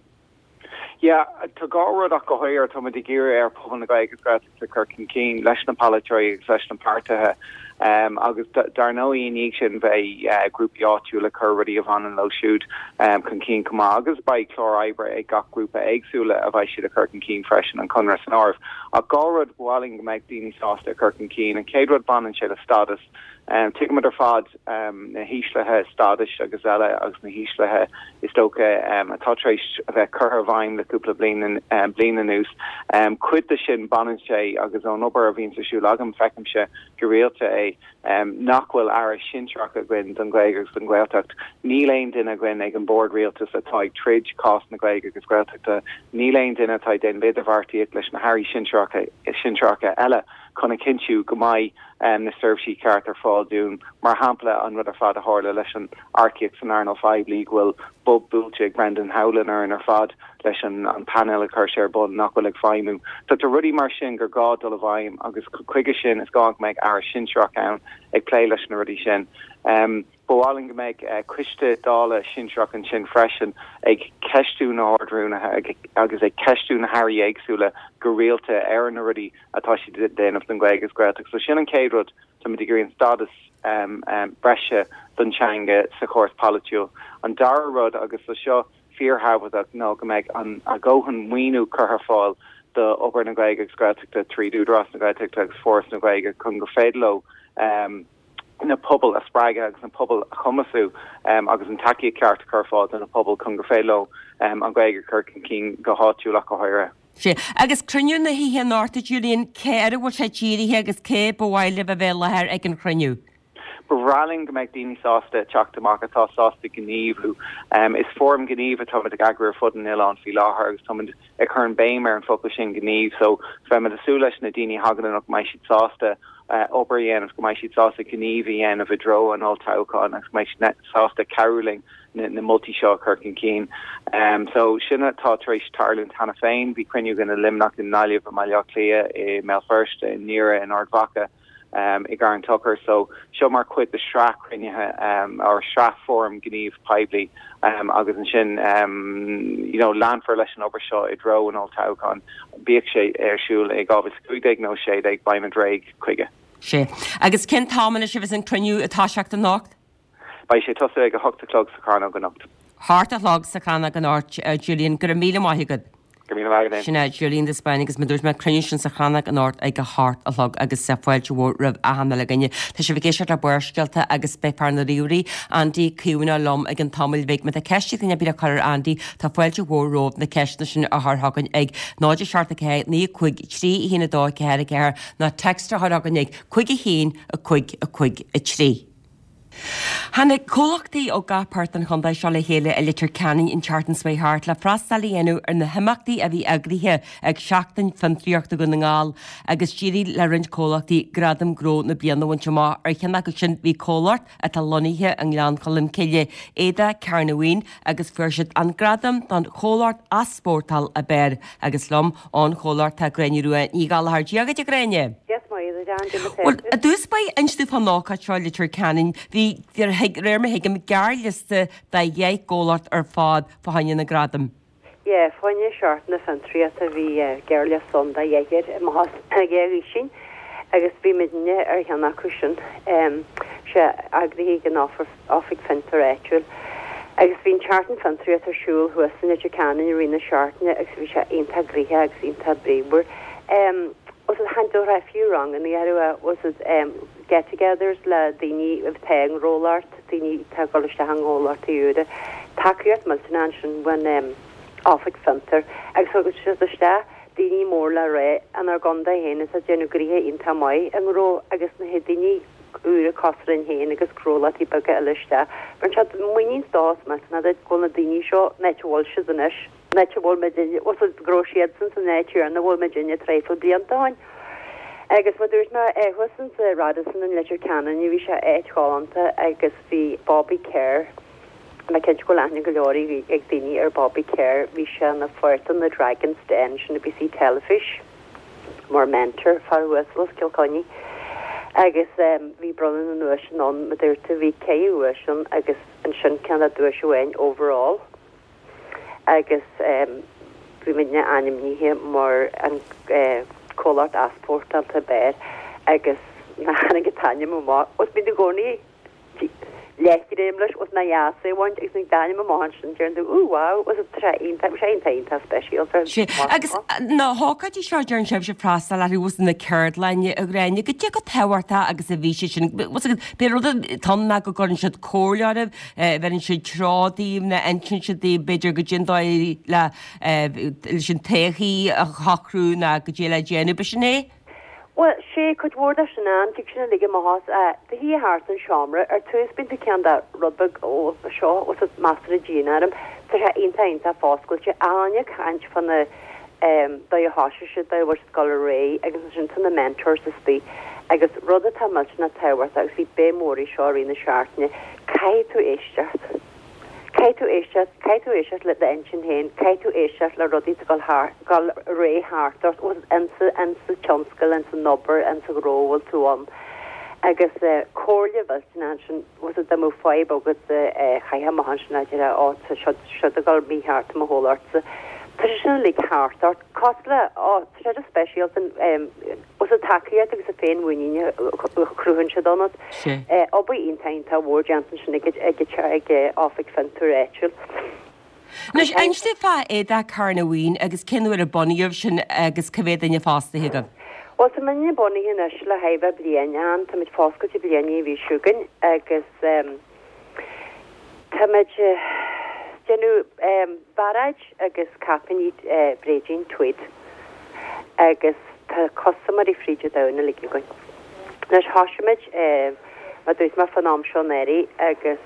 [SPEAKER 4] Yeah, tá dhá rud ach go háirithe tá muid ag iarraidh ar pobal na Gaeilge Gaeltachta cur chun cinn leis na polaiteoirí agus leis na páirtithe. Um, agus dar ndóigh i ndiaidh sin bheidh uh, grúpaí áitiúla ag cur rudaí a bhaineann leo siúd um, chun cinn chomh maith agus beidh clár oibre ag gach grúpa éagsúla a bheidh siad a chur chun cinn freisin an Conradh san áireamh. Ach dhá rud ba mhaith linn go mbeidh daoine sásta cur chun cinn an chéad rud baineann sé le stádas. Um, Tuigimid ar fad um, na híslithe stádais agus eile agus na híslithe is dócha um, atá tar éis a bheith curtha i bhfeidhm le cúpla bliain um, bliain anuas. Um, cuid de sin baineann sé agus ón obair a bhíonn ar siúl agam feicimse go rialta é um, nach bhfuil aire sinsearach againn don Ghaeilge agus don Ghaeltacht. Níl aon duine againn ag an bord rialtais atá ag troid cás na Gaeilge agus Gaeltachta, níl aon duine atá ag déanamh idirbheartaíocht leis na hairí sinsearacha sinsearacha eile chun a chinntiú go mbeidh um, na seirbhísí ceart ar fáil dúinn mar shampla an rud ar fad a tharla leis an earcaíocht san earnáil phoiblí go bhfuil bob buailte ag Brendan Howlin ar an ar fad leis an an panel a chur sé ar bun nach bhfuil ag feidhmiú. Tá tá rudaí mar sin gur gá dul i bhfeidhm agus chuige sin is gá go mbeidh aire sinsearach ann ag plé leis na rudaí sin. Um, Ba mhaith linn go mbeidh uh, coiste dála sinsearach ansin freisin ag ceistiú na hArd-Rúnaithe agus ag ceistiú na hairí éagsúla go rialta ar na rudaí atá siad ag déanamh don Ghaeilge agus Gaeltacht. So sin an chéad rud tá muid ag iarraidh an stádas um, um, breise don teanga sa chóras polaitiúil. An dara rud agus so seo fíorthábhachtach ná go mbeidh an a ndóthain maoiniú curtha ar fáil do obair na Gaeilge agus Gaeltachta trí Údarás na Gaeltachta agus Foras na Gaeilge chun gur féidir leo um, na pobail a spreagadh agus na pobail a chumasú um, agus an tacaíocht ceart chur ar fáil do na pobail chun gur féidir leo um, an Ghaeilge chur chun cinn go háitiúil go háirithe.
[SPEAKER 1] Sé agus cruinniú na hoíche anocht Julian cé air a bhfuil sé dírithe agus cé ba mhaith libh a bheith i láthair ag an chruinniú.
[SPEAKER 4] Ba bhreá linn go mbeidh daoine sásta teacht amach atá sásta gníomhú. Um, is fóram gnímh atá ag eagrú ar fud an oileáin faoi láthair agus tá ag cur an béim ar an focal sin gníomh, so beimid ag súil leis na daoine a thagann go mbeidh siad sásta uh, obair a dhéanamh go mbeidh siad sásta gníomh a dhéanamh i dtreo an olltoghcháin agus go mbeidh siad sásta cabhrú linn na, na moltaí seo chur chun cinn. Um, so sin atá tar éis tarlú cheana féin, bhí cruinniú againn i Luimneach i nGaillimh i mBaile Átha Cliath i mBéal Feirste i nDoire in Ard Mhacha. Um, i gCarn Tochair so seo mar chuid de sraith cruinnithe um, ar sraith fóram gníomh poiblí um, agus ansin um, you know, leanfar leis an obair seo i dtreo an olltoghcháin bíodh sé ar siúl i dhá mhíle cúig déag nó sé déag beimid réidh chuige.
[SPEAKER 1] Sé. Agus cén t-am anois a bheas an cruinniú ag toiseacht anocht?
[SPEAKER 4] Beidh sé ag tosú ag a hocht a chlog sa Chrannóg anocht.
[SPEAKER 1] Hocht a chlog sa Chrannóg anocht uh, Julian go raibh míle maith agat.
[SPEAKER 4] Sin
[SPEAKER 1] é Julian de Spáinn agus mar a dúirt mé cruinniú sin sa Chrannóg anocht ag a hocht a chlog agus sa fáilte mhór roimh achan duine. Tá sibh ag éisteacht le Barrscéalta agus beidh fear na ríomhairí Andy Caomhna liom i gceann tamaill bheag má tá ceist ag duine ar bith le cur ar Andy tá fáilte mhór romhaibh na ceisteanna sin a chur chugainn ag náid seacht ceathair naoi cúig trí haon a dó ceathair ceathair nó text a chur chugainn ag cúig a haon a cúig a cúig a trí. Tháinig comhlachtaí ó gach páirt den chontae seo le chéile i Leitir Ceanainn an tseachtain seo thart le freastal a dhéanamh ar na himeachtaí a bhí eagraithe ag Seachtain Fiontraíochta Dhún na nGall agus d'éirigh le roinnt comhlachtaí gradam gnó na bliana a bhaint amach ar cheann acu sin bhí comhlacht atá lonnaithe i nGleann Cholm Cille, Éadach Cearnamhain agus fuair siad an gradam don chomhlacht easpórtáil ab fhearr agus liom ón chomhlacht tá Gráinne Rua Ní Ghallchóir Dia dhuit a Ghráinne. Well i dtús báire inis dúinn fán ócáid seo i Leitir Ceanainn bhí réir mar a thuigim gearrliosta de dheich gcomhlacht ar fad fá choinne na gradam.
[SPEAKER 3] Yeah, fá choinne Seachtain na Fiontraíochta bhí gearrliosta ann de dheich más sin agus bhí muidne ar cheann acu sin sé eagraithe ag an Oifig Fiontar Áitiúil. Agus bhí an tseachtain fiontraíochta ar siúl thuas in Leitir Ceanainn i rith na seachtaine agus bhí sé iontach gnoitheach agus iontach bríomhar. Um, was it hand fiú ranganna ar was it um, get-togethers le daoine atá i ngnólacht, daoine atá ag dul isteach i ngnólacht úra. Tacaíocht millteanach ansin ón um, Oifig Fiontar agus thug siad isteach daoine mór le rá inár gcontae féin is a déanamh gnoithe iontach maith i ngnó agus na daoine úra cosúil linn féin agus gnólachtaí beaga eile isteach. Mar se muinín stás millteanach go bhfuil na daoine seo net bhfuil siad anois net bhfuil muidne go raibh siadsan san áit ar a bhfuil muidne traidhfil blianta ó shin. Agus mar dúirt mé thuas sa Radisson in Leitir Ceanainn bhí sé áit ghalánta agus bhí Bobby Kerr Mé cinnte go bhfuil aithne go leor ag daoine ar Bobby Kerr bhí sé ina pháirt in the Dragon's Den sin BBC teilifís mar mentor fear uasal Cill Chainnigh. Agus bhí bronnadh na nduaiseanna ann, mar dúirt tú, bhí ceithre dhuais ann agus ansin ceann de duais amháin overall. Agus bhí muidne ainmnithe mar an comhlacht easpórtáilte ab fhearr agus nuair a tháinig an t-ainm amach, os bíonn tú i gcónaí leathghreim leis os na dheas é bhaint agus nuair d'ainm amach ansin deireann tú ooh wow was it tá sé iontach bhí sé iontach iontach speisialta.
[SPEAKER 1] Sé agus na hócáidí seo deireann sibhse freastal orthu was na ceardlainne a Ghráinne goidé chomh tábhachtach agus a bhí sé sin was b'é rud atá ann ná go gcuireann siad comhairle oraibh bheireann siad treo daoibh nó insíonn siad daoibh b'fhéidir goidé an dóigh le leis an todhchaí a shocrú nó goidé le déanamh b'shin é?
[SPEAKER 3] Bhuel, sé, cuid mhór de sin ann, tig sin uilig amach as do shuí thart an seomra, ar tús bíonn tú ceann de rud beag ó seo, os a measartha dian orm, tá sé iontach iontach foscailte, achan duine ag caint fá na dóigh a thosaigh siad, dóigh a bhfuil siad ag dul ar aghaidh agus ansin tá na mentors istigh agus rud atá millteanach tábhachtach agus bhí béim mhór air seo i rith na seachtaine, caithfidh tú éisteacht. Caithfidh tú éisteacht, caithfidh tú éisteacht le d'intinn féin, caithfidh tú éisteacht le rudaí atá ag dul dul ar aghaidh thart ort, insa, insa tionscal, insa obair, insa ghnó a bhfuil tú ann. Agus comhairle mhillteanach ansin, bhfuil fhios dá mbeadh fadhb agat chaithfeá amach ansin a deir ó tá seo, seo ag dul mícheart i mo chomhlachtsa. Tá sé sin uilig thart ort, cosúil le, ó, tá sé just speisialta, bhfuil fhios tacaíocht agus an féinmhuinín a chruthaíonn siad ionat. Obair iontach iontach mhór déanta ansin ag ag ag Oifig Fiontair Áitiúil.
[SPEAKER 1] Anois, inis dúinn fá Éadach Charna Mhaoin agus cén uair a bunaíodh sin agus cá mhéad duine fostaithe agaibh?
[SPEAKER 3] Bhuel, tá muidne bunaithe anois le chóir a bheith bliain ann, táimid foscailte bliain an mhí seo chugainn agus táimid déanamh bairéid agus caipíní bréidín tweed agus tá custaiméirí fríd an domhan uilig againn. Anois thosaigh muid mar dúirt mé fán am seo anuraidh agus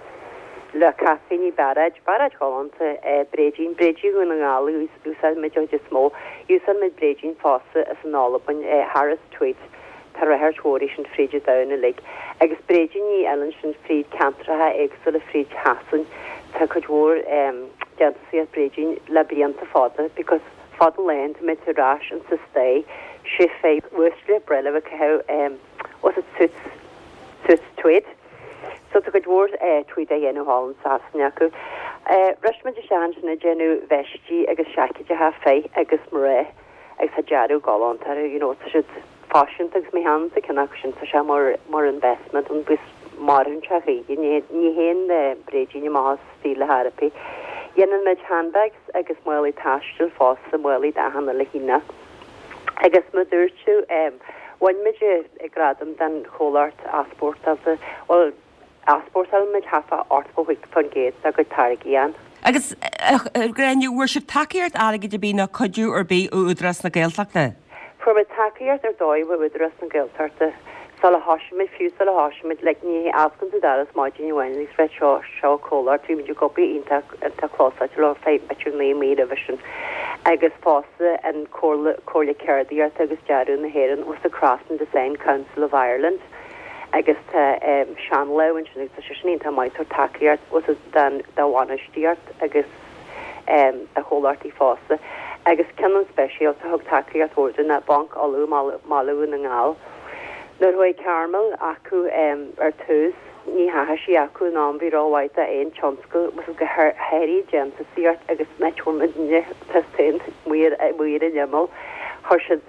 [SPEAKER 3] le caipíní bairéid, bairéid ghalánta, bréidín, bréidín Dhún na nGall a úsáid muid an chuid is mó. Úsáid muid bréidín fosta as an Albain, Harris Tweed. Tá ráchairt mhór air sin fríd an domhan uilig. Agus bréidíní eile ansin fríd ceantracha éagsúla fríd Shasain. Tá cuid mhór déantúsaíocht bréidín le blianta fada because fada laethanta muid ar ais insa stair sé fé uaisle breithe a caitheamh was it suits suits tweed. So tá cuid mhór tweed á dhéanamh thall in Sasana acu. Bhris muid isteach ansin ag déanamh veistí agus seaicéideacha fir agus mná agus tá dearadh galánta orthu, you know, tá siad faiseanta agus má théann tú ceann acu sin tá sé mar mar investment an bus maireann sé choíche, ní ní théann bréidín amach as stíl le hairipí. Dhéanann muid handbags agus málaí taistil fosta, málaí d'achan uile chineál. Agus mar dúirt tú, bhain muid gradam den chomhlacht easpórtáilte, bhuel easpórtálann muid thart fá ochtó faoin gcéad dá gcuid táirgí ann.
[SPEAKER 1] Agus a Ghráinne, bhfuair sibh tacaíocht airgid ar bith nó cuidiú ar bith ó Údarás na Gaeltachta?
[SPEAKER 3] Fuair muid tacaíocht ar dóigh ó Údarás na Gaeltachta sula thosaigh muid, fiú sula thosaigh muid, like ní osclaíonn tú doras maidin amháin agus reit seo seo comhlacht, bhí muid ag obair iontach iontach clósáilte leo feadh b'fhéidir naoi mí roimhe sin. Agus fosta an Comhairle Comhairle Ceardaíochta agus Dearadh na hÉireann was the Craft and Design Council of Ireland agus tá seanlámh ansin agus tá sé sin iontach maith tabhairt tacaíocht was den dá bhainistíocht agus do chomhlachtaí fosta. Agus ceann an speisialta thug tacaíocht mhór dúinn ná Banc Uladh mBaile Dhún na nGall. Nuair a chuaigh Carmel acu ar tús ní theachaigh sí acu in am bhí rómhaith d'aon tionscal was go háirithe déantúsaíocht agus muidne tá muir muir an imeall chuir siad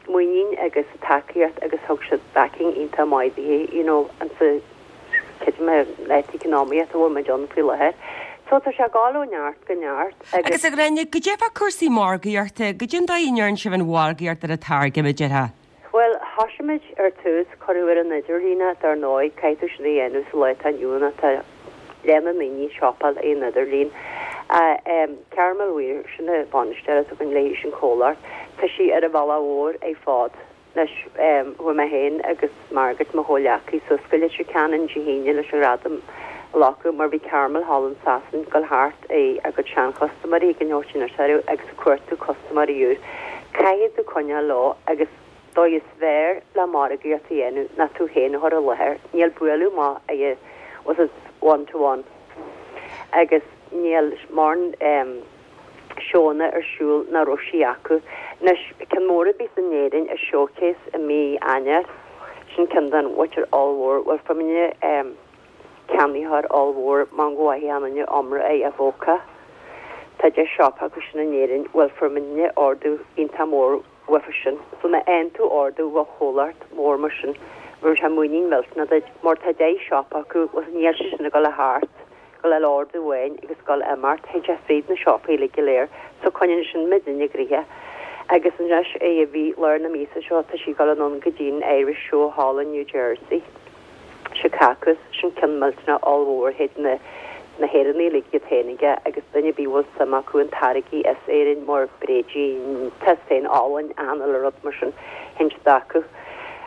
[SPEAKER 3] muinín agus tacaíocht agus thug siad backing iontach maith di you know ansa creidim le economy a bhfuil muid ann faoi láthair. So tá sé ag dul ó neart go neart
[SPEAKER 1] agus. Agus a Ghráinne, goidé fá cúrsaí margaíochta, goidé an dóigh a ndéanann sibh an mhargaíocht ar an táirge a déarfá?
[SPEAKER 3] Bhuel, thosaigh muid ar tús, cuireadh ar an idirlíon dar ndóigh, caithfidh tú sin a dhéanamh sa lá atá inniu ann, tá leath na ndaoine ag siopáil ar an idirlíon. Carmel Weir, sin an bainisteoir atá againn léi sin comhlacht, tá sí ar an bhealach mhór ar fad. Anois, chuaigh mé féin agus Margaret, mo chomhghleacaí, suas go Leitir Ceanainn Dé hAoine leis an ghradam a ghlacadh mar bhí Carmel thall in Sasain ag dul thart ar a gcuid seanchustaiméirí ag an neoitín orthu agus ag cuartú custaiméirí úr. Caithfidh tú coinneáil leo agus dóigh is fearr le margaíocht a dhéanamh ná tú féin a chur i láthair. Níl bualadh maith ag was it one to one agus níl mórán seónna ar siúl ná raibh sí acu. Anois ceann mór a bhí in Éirinn i Showcase i mí Eanáir. Sin ceann den mhuintir ollmhór. Bhuel fuair muidne ceannaitheoir ollmhór mar go bhfaighidh aon duine iomrá é Avoca. Tá deich siopa acu sin in Éirinn. Bhuel fuair muidne ordú iontach mór uafa sin. So má fhaigheann tú ordú ó chomhlacht mór mar sin bheadh sé muinín millteanach duit mar tá deich siopa acu agus níl sé sin ag dul thart go le ordú amháin agus dul imeacht théann sé fríd na siopaí uilig go léir so coinníonn sin muidinne gnoitheach. Agus anois é a bhí lár na míosa seo tá sí ag dul anonn go dtí an Irish Show thall in New Jersey. Chicago sin ceann millteanach ollmhór théid na na hÉireannaigh uilig iad féin aige agus duine ar bith a bhfuil suim acu in táirgí as Éirinn mar bréidín, tá féin álainn, achan uile rud mar sin théann siad acu.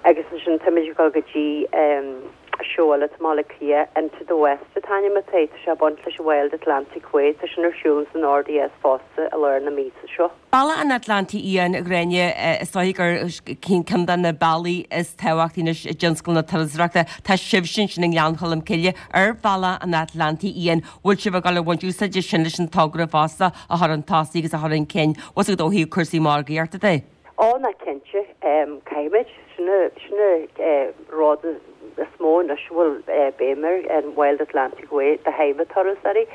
[SPEAKER 3] Agus ansin táimid ag dul go dtí seó eile i mBaile Átha Cliath, Into the West an t-ainm atá air, tá sé ag baint leis an Wild Atlantic Way, tá sin ar siúl san RDS fosta i lár na míosa seo.
[SPEAKER 1] Bealach an Atlantaigh Fhiáin, a Ghráinne, is dóigh gur ceann de na bealaí is tábhachtaí anois i dtionscal na turasóireachta. Tá sibhse ansin i nGleann Cholm Cille ar Bhealach an Atlantaigh Fhiáin. Bhfuil sibh ag dul a bhaint úsáide sin leis an togra fosta a chur chun tosaigh agus a chur chun cinn? Bhfuil a fhios agat ó thaobh cúrsaí margaíochta de?
[SPEAKER 3] Ó ná cinnte, caithfimid. Sin sin rud is mó anois a bhfuil béim air, an Wild Atlantic Way do thaobh turasóirí.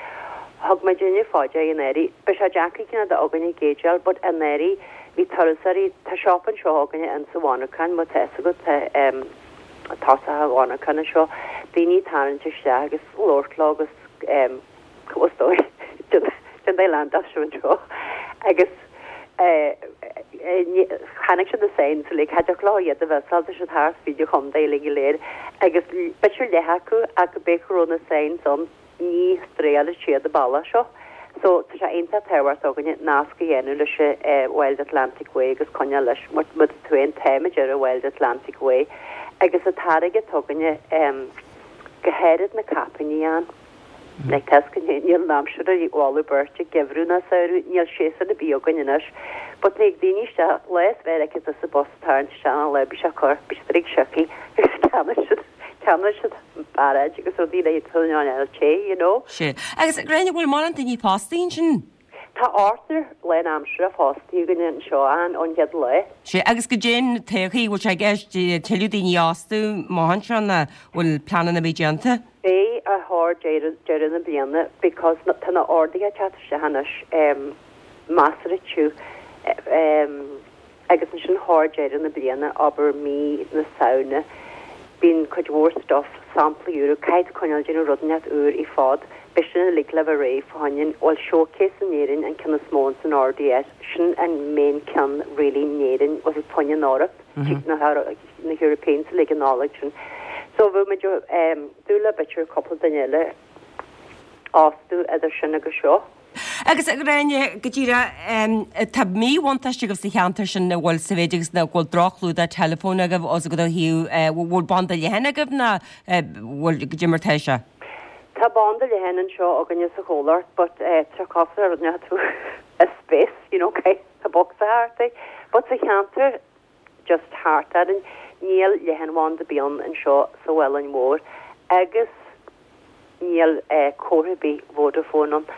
[SPEAKER 3] Thug muid inniu fá dear anuraidh. Beidh sé deacair cineál de againne géideáil, but anuraidh bhí turasóirí, tá siopa anseo againne insa mhonarchan, má tá fhios agat, tá tosach an mhonarchan anseo, daoine ag tarraingt isteach agus labhairt leo agus cá bhfios dóibh, den dá leath seo anseo agus chonaic siad na signs uilig, cha dtiocfadh leo iad a mhissáil, tá siad thart fríd an chontae uilig go léir agus b'fhéidir leath acu ach go b'fhéidir go raibh na signs ann ní stréáil siad an bealach seo. So tá sé iontach tábhachtach againne nasc a dhéanamh leis an Wild Atlantic Way agus coinneáil leis mar tú féin táimid ar an Wild Atlantic Way agus an táirge atá againne go háirid na caipíní ann. Like tá go níl an aimsir a mholadh beirt ag geimhreadh ná samhradh, níl séasúr ar bith againn anois. But nig daoine isteach lá is bheith aici sa bus tarraingt isteach an lá bhí sé cur, bhí siad ag siocaí agus ceannaigh siad ceannaigh siad bairéid agus rudaí le an eile té, you know.
[SPEAKER 1] Sé. Agus Gráinne, bhfuil mórán daoine fostaithe ansin?
[SPEAKER 3] Tá ochtar lánaimseartha fostaithe againn anseo an ón chéad lá.
[SPEAKER 1] Sé agus goidé an todhchaí bhfuil sé i gceist tuilleadh daoine a fhostú amach anseo nó bhfuil pleananna ar bith déanta?
[SPEAKER 3] Beidh a thóir deireadh deireadh na bliana because tá na orduithe ag teacht isteach anois measartha tiubh agus ansin thóir deireadh na bliana abair mí na Samhna bíonn cuid mhór stuff samplaí úra caithfidh tú coinneáil déanamh rud inteacht úr i fad beidh sin uilig le bheith réidh fá choinne bhuel showcase in Éirinn an ceann is mó san RDS sin an main ceann really in Éirinn was it fá choinne an Eoraip na na Europeans uilig an Nollaig sin. So bhí muid dúil le b'fhéidir cúpla duine eile a fhostú idir sin agus seo.
[SPEAKER 1] Agus a Ghráinne, go díreach, tá míbhuntáiste agaibh sa cheantar sin na bhfuil sa mhéid agus nach bhfuil droch-chlúdach teileafóin agaibh os go thaobh bhfuil banda leathan agaibh ná bhfuil goidé mar tá sé?
[SPEAKER 3] Tá banda leathan anseo againne sa chomhlacht, but tá cosúil le rud tú i space, you know, tá box thart é. But sa cheantar just thart orainn níl leathanbhanda ar bith ann anseo sa Mhuileann Mhór agus níl comhartha ar bith Vodafone ann.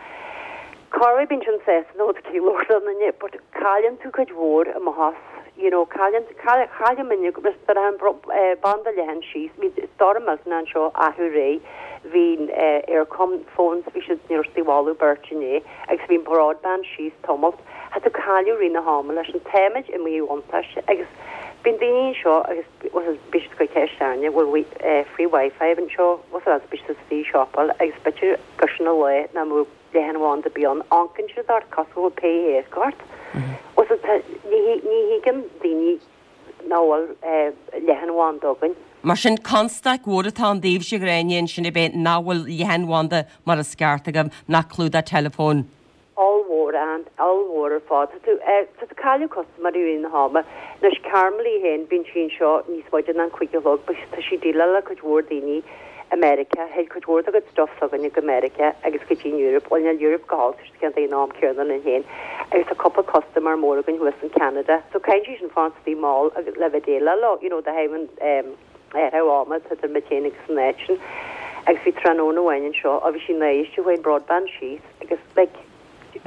[SPEAKER 3] Corruair bíonn sin sásta nó cé labhairt le duine, but cailleann tú cuid mhór amach as, you know, cailleann cailleann muidne an banda leathan síos, bhí stoirm millteanach anseo athrú ré, bhí Eircom phones, bhí siad ní raibh siad ag mholadh beirt inné agus bhí an broadband síos tamalt. Tá tú cailleadh rith na hama leis an táimid i míbhuntáiste agus bíonn daoine anseo agus bhí siad go ceist airne bhfuil free wifi anseo, was it bhí siad sa siopa agus b'fhéidir gur sin an lá nach mbeadh leathanbhanda ar bith ann, amharcann siad ort cosúil le pé ort. Was it ní ní thuigeann daoine nach bhfuil leathanbhanda againn.
[SPEAKER 1] Mar sin constaic mhór atá ann daoibhse a Ghráinne ansin a bheith nach bhfuil leathanbhanda mar is ceart agaibh nach clúdach teileafóin.
[SPEAKER 3] Ollmhór an ollmhór ar fad. Tá tú tá tú cailleadh custaiméirí i rith na hama. Anois Carmel féin bíonn sí anseo níos moille ná an cúig a chlog, but tá sí déileáil le cuid mhór daoine America, théid cuid mhór dá gcuid stuff s'againne go America agus go dtí Europe, bhuel níl Europe go háil ceann an am céanna linn féin. Agus tá cúpla customer mór againn thuas in Canada. So caitheann sí sin fanacht istigh mall agus le bheith déileáil leo, you know, de thaobh an athrú ama idir muid féin agus an áit sin. Agus bhí tráthnóna amháin anseo a bhí sí náiste chuaigh an broadband síos agus like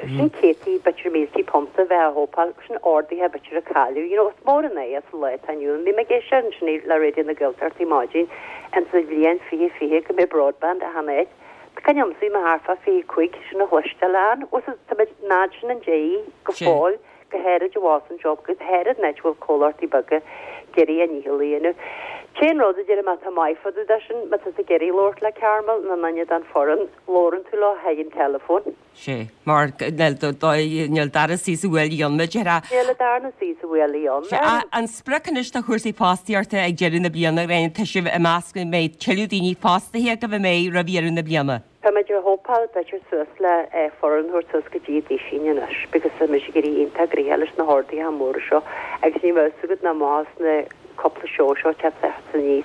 [SPEAKER 3] Sin céadtaí b'fhéidir míltí punt a bheith a thópáil sin orduithe b'fhéidir a cailleadh. You know, is mór an é sa lá atá inniu ann. Bhí mé ag éisteacht ansin le Raidió na Gaeltachta maidin in sa bhliain fiche fiche go mbeidh broadband achan áit. Tá cuimhne agam bhí mé thart fá fiche cúig sin a chloisteáil ann. Bhfuil fhios tá muid náid sin an dé go fóill go háirid i bhfás anseo go háirid an áit a bhfuil comhlachtaí beaga ag iarraidh a ndícheall a dhéanamh. Cén rud a deirim atá maith fá dtaobh de sin, má tá tú ag iarraidh labhairt le Carmel nó duine den foireann, labhrann tú leo thríd an teileafón.
[SPEAKER 1] Sé, mar níl dara suí sa bhuaile ann, a déarfá.
[SPEAKER 3] Níl a darna suí sa bhuaile ann.
[SPEAKER 1] Sé, an sprioc anois do chúrsaí fostaíochta ag deireadh na bliana, Gráinne, tá sibh ag meas go mbeidh tuilleadh daoine fostaithe agaibh an mbeidh roimh dheireadh na bliana?
[SPEAKER 3] Tá muid ag hópáil b'fhéidir suas le foireann a thabhairt suas go dtí duisín anois because tá muid ag éirí iontach gnoitheach leis na horduithe móra seo agus ní bheadh fhios agat nach maith sna cúpla seó seo teacht aníos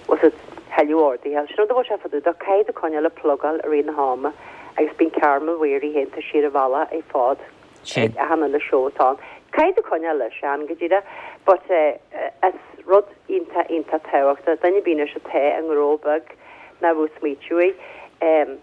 [SPEAKER 3] was it thuilleadh orduithe. Sin rud a bhfuil sé fadú do caithfidh tú coinneáil ag plugáil i rith na hama agus bíonn Carmel Weary féin tá sí ar a bhealach ar fad ag achan uile seó atá ann. Caithfidh tú coinneáil leis an go díreach but is rud iontach iontach tábhachtach duine ar bith anois atá i ngnó beag nach bhfuil smaoitiú é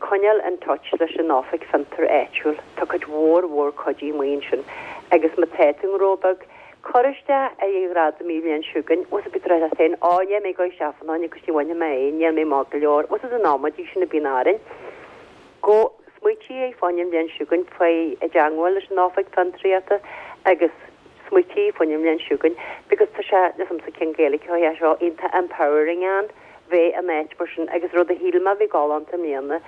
[SPEAKER 3] coinneáil in touch leis an oifig fiontar áitiúil. Tá cuid mhór mhór cuidí amuigh ansin agus má tá tú i ngnó beag, cuir isteach ar an ghradam an bhliain seo chugainn, bhfuil fhios agat féin, á níl mé ag dul isteach fan agus ní bhainfidh mé é, níl mé maith go leor, bhfuil fhios agat an amaidí sin a bhíonn orainn. Go smaoitigh faoin an bhliain seo chugainn faoi i dteagmháil leis an oifig fiontraíochta agus smaoitigh faoin an bhliain seo chugainn because tá sé liomsa cén Gaeilge é seo iontach empowering an bheith in áit mar sin agus rud a shíl mé a bhí galánta i mbliana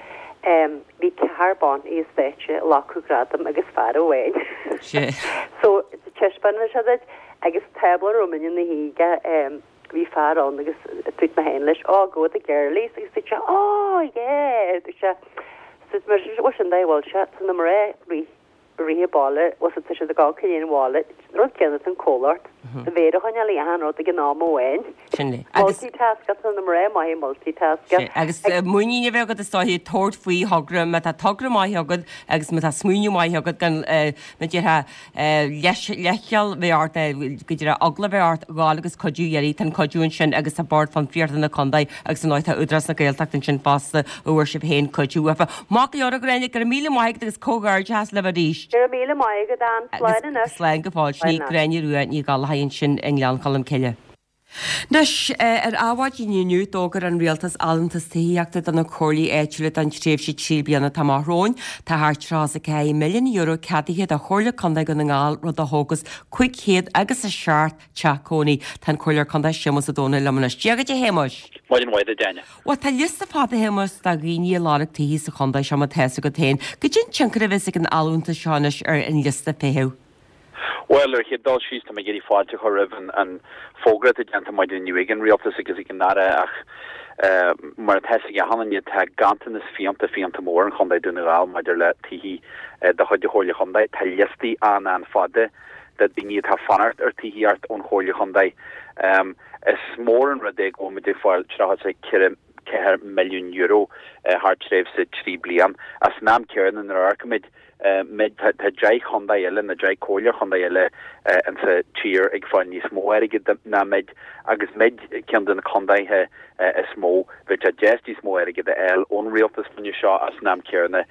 [SPEAKER 3] bhí ceathrar ban ar stáitse ag glacadh gradam agus fear amháin. So taispeánann sé duit agus tábla romhainn ina shuí bhí fear ann agus dúirt mé féin leis, oh go the girlies agus dúirt sé oh yeah dúirt sé so mar sin sin dá bhfuil sé tá na mná rith rith an baile was tá siad ag gabháil chun an bhaile rud céanna san comhlacht a bhéar a choinneáil achan rud ag an am amháin.
[SPEAKER 1] Sin é. Agus
[SPEAKER 3] multitask tá na mná maith multitask.
[SPEAKER 1] Agus muinín a bheith agat is dóiche tabhairt faoi thogra má tá togra maith agat agus má tá smaoineamh maith agat gan má déarfá leithcheal bheith ort go dtí eagla bheith ort ghabháil agus cuidiú a iarraidh tá an cuidiú ansin agus tá Bord Fiontraíochta na Contae agus an tá Údarás na Gaeltachta ansin fosta a bhfuair sibh féin cuidiú uafa. Maith go leor a Ghráinne, go raibh míle maith agat agus comhghairdeas libh arís.
[SPEAKER 3] Go raibh míle maith agat Ann slán anois.
[SPEAKER 1] Slán go fóill sin í Gráinne Rua Ní Ghallchóir ansin i nGleann Cholm Cille. Anois ar Adhmhaidin inniu d'fhógair an rialtas allúntas tithíochta do na comhairlí áitiúla don tréimhse trí bliana atá amach romhainn. Tá thart tríocha is a ceathair milliún euro ceadaithe do Chomhairle Contae Dhún na nGall rud a thógas cúig chéad agus a seacht teach cónaí. Tá an Comhairleoir Contae Séamus Ó Domhnaill liom anois. Dia dhuit a Shéamuis.
[SPEAKER 5] Maidin mhaith duit Áine.
[SPEAKER 1] Bhuel tá liosta fada a Shéamuis de dhaoine ag lorg tithe sa chontae seo má tá fhios agat féin. Goidé an tionchar a bheas ag an allúntas seo anois ar an liosta feithimh.
[SPEAKER 5] Well ar chéad dul síos tá mé ag iarraidh fáilte a chur roimh an, an fógra atá déanta maidin inniu ag an rialtas agus ag an Aire ach uh, mar atá ag achan duine tá ganntanas fiánta fiánta mór in Chontae Dún na nGall maidir le tithe uh, de chuid Chomhairle Chontae tá liostaí an an-fhada de daoine atá fanacht ar tithíocht ón Chomhairle Chontae. Um, is mór an rud é go bhfuil muid fáil tríocha ceithre ceathair milliún euro uh, thar tréimhse trí bliain. As an am céanna nuair a amharcaimid muid tá deich chontae eile na deich comhairle chontae eile in sa tír ag fáil níos mó airgid ná muid agus muid ceann de na contaetha is mó bheadh sé deas níos mó airgid a fháil ón rialtas faoin seo as an am céanna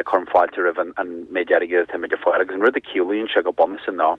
[SPEAKER 5] cuirim fáilte roimh an, an méid airgid atá muid ag fáil agus an rud a chiallaíonn sé go bunúsach ná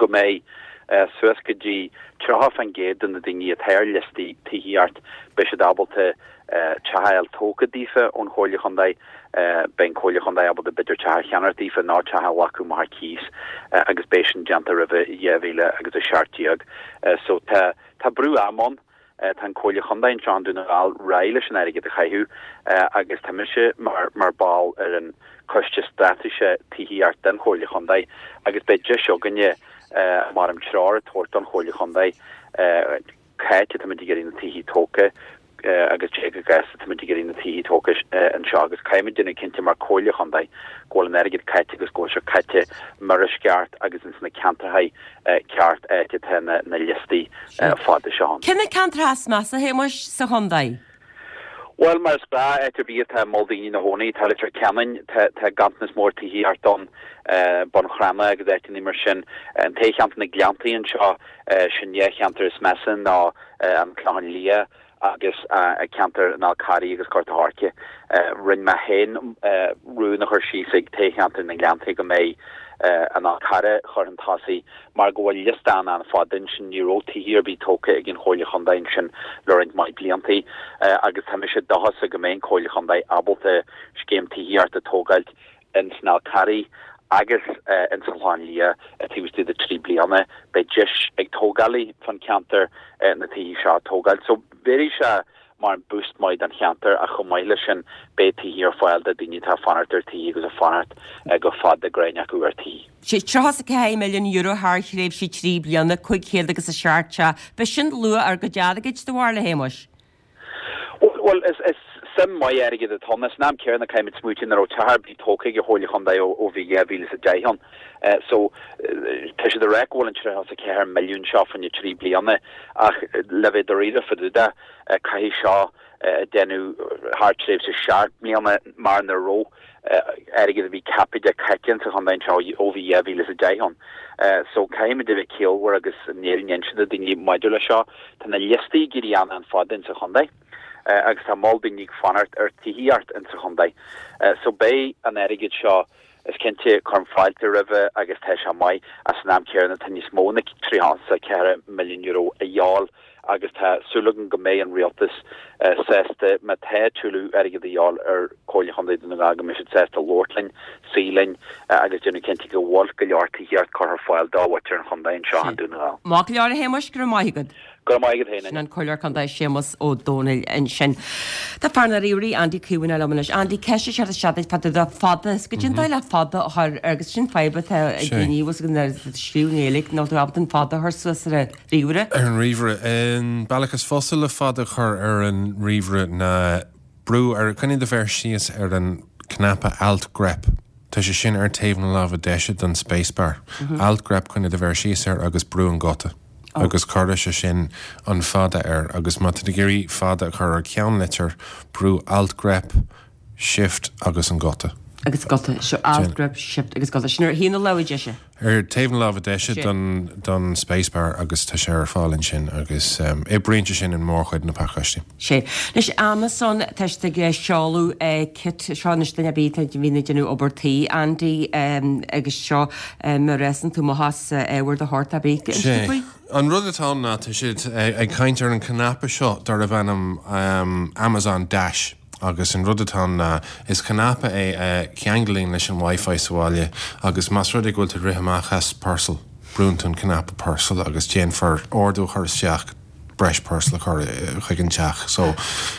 [SPEAKER 5] go mbeidh uh, suas go dtí tríocha faoin gcéad de na daoine atá ar liostaí tithíocht beidh siad ábalta uh, teach a fháil tógtha daofa ón Chomhairle Chontae uh, beidh an Chomhairle Chontae ábalta b'fhéidir teach a cheannacht daofa ná teach a ghlacadh mar cíos uh, agus beidh sin déanta roimh dhá mhíle agus a seacht déag. Uh, so tá tá brú ama ann Uh, tá an Chomhairle Chontae anseo Dún na nGall réidh leis an airgead a chaitheamh uh, agus tá mise mar mar ball ar an coiste straitéise tithíocht den Chomhairle Chontae agus beidh deis againne uh, mar an treoir a thabhairt don Chomhairle Chontae uh, cá háit atá muid ag iarraidh na tithe tógtha uh, agus cé chomh gasta atá muid ag iarraidh na tithe tógtha uh, anseo agus caithfimid déanamh cinnte mar Chomhairle Chontae go bhfuil an airgead caite agus go bhfuil sé caite mar is ceart agus ins na ceantracha uh, ceart áit atá na, na liostaí uh, fada seo.
[SPEAKER 1] Cé na ceantracha is measa a Shéamuis sa chontae?
[SPEAKER 5] Well mar is gnáth áit ar bith atá moll daoine ina gcónaí tá Leitir Ceanainn tá ganntanas mór tithíocht ann Bun Cranncha agus áiteanna mar sin an té cheantar na Gleanntaí anseo sin é cheantar is measa ná an Clochán Liath agus ceantar an Fhál Carraigh agus Gort a' Choirce. Rinne mé féin rún a chur síos ag toghcheantar na nGleannta go mbeidh an Fhál Carraigh chur chun tosaigh mar go bhfuil liosta an-an-fhada ansin, ní raibh tithe ar bith tógtha ag an Chomhairle Chontae ansin le roinnt mhaith bliantaí agus tá mise dóchasach go mbeidh an Chomhairle Chontae ábalta scéim tithíochta a tógáilt ins an Fhál Carraigh agus ins an Chlochán Liath taobh istigh de trí bliana. Beidh deis ag tógálaí fan cheantar na tithe seo a tógáilt. So bheadh sé mar boost maith don cheantar ach chomh maith leis sin beidh tithe ar fáil do daoine atá ag fanacht ar tithe agus ag fanacht go fada gráinneach acu ar tithe.
[SPEAKER 1] Sé tríocha is a ceathair milliún euro thar thréimhse trí bliana, cúig chéad agus a seacht teach. B'shin luach ár gcuid airgid, do bharúil, a Shéamuis?
[SPEAKER 5] Bhuel, is is suim maith airgid atá ann. San am céanna caithfimid smaoitiú nach raibh teach ar bith tógtha ag an Chomhairle Chontae ó ó bhí dhá mhíle is a deich ann. So tá siad ag rá go bhfuil an tríocha is a ceathair milliún seo fá choinne trí bliana ach le bheith dáiríre fá dtaobh de caithfidh seo déanamh thar tréimhse seacht mbliana mar nach raibh airgead a bhí ceaptha caite sa chontae anseo ó bhí dhá mhíle is a deich ann. So caithfimid a bheith ciallmhar agus an fhírinne a inse do daoine maidir le seo. Tá na liostaí ag éirí an-an-fhada insa chontae agus tá moll daoine ag fanacht ar tithíocht insa chontae. So beidh an airgead seo is cinnte cuirim fáilte roimhe agus tá sé maith ach san am céanna tá níos mó ná tríocha is a ceathair milliún euro a dhíobháil agus tá súil agam go mbeidh an rialtas sásta má tá tuilleadh airgead a dhíobháil ar Chomhairle Chontae Dhún na nGall go mbeidh siad sásta labhairt linn, suí linn agus déanamh cinnte go bhfuil go leor tithíocht curtha ar fáil do mhuintir an chontae anseo i nDún na nGall.
[SPEAKER 1] Maith go leor a Shéamuis, go raibh maith agat.
[SPEAKER 5] Go raibh maith agat féin.
[SPEAKER 1] Sin an Comhairleoir Contae Séamus Ó Domhnaill ansin. Tá fear na ríomhairí Andy Caomhánach liom anois. Andy, ceist ag teacht isteach duit fá dtaobh de fada. Is goidé an dóigh le fada a chur agus sin fadhb atá ag daoine bhfuil a fhios agat ag scríobh i nGaeilge nach bhfuil tú ábalta an fada a chur suas ar an ríomhaire.
[SPEAKER 6] Ar an ríomhaire. An bealach is fusa le fada a chur ar an ríomhaire ná brú ar, coinnigh do mhéar síos ar an cnaipe Alt Grep. Tá sé sin ar taobh na láimhe deise don spacebar. Alt Grep coinnigh do mhéar síos air agus brú an guta. Agus cuirfidh sé sin an fada air agus má tá tú ag iarraidh fada a chur ar ceannlitir, brú Alt Grep, Shift agus an guta.
[SPEAKER 1] Agus guta, so Alt Grep, Shift agus guta. Sin ar thaobh na láimhe deise.
[SPEAKER 6] Ar taobh na láimhe deise don don spacebar agus tá sé ar fáil ansin agus oibríonn sé sin in mórchuid na pacáistí.
[SPEAKER 1] Sé. Anois Amazon tá siad ag seoladh kit seo anois duine ar bith a bhíonn ag déanamh obair tí Andy agus seo má réasann tú amach as ábhar de shórt ar bith.
[SPEAKER 6] Sé. An rud atá ann ná tá siad ag caint ar an cnaipe seo darbh ainm Amazon Dash. Agus an rud atá ann ná is cnaipe é a cheanglaíonn leis an Wi-Fi sa bhaile agus más rud é go bhfuil tú ag rith amach as parcel, brúnn tú an cnaipe parcel agus déanfar ordú a chur isteach breis parcel a chur chuig an teach. So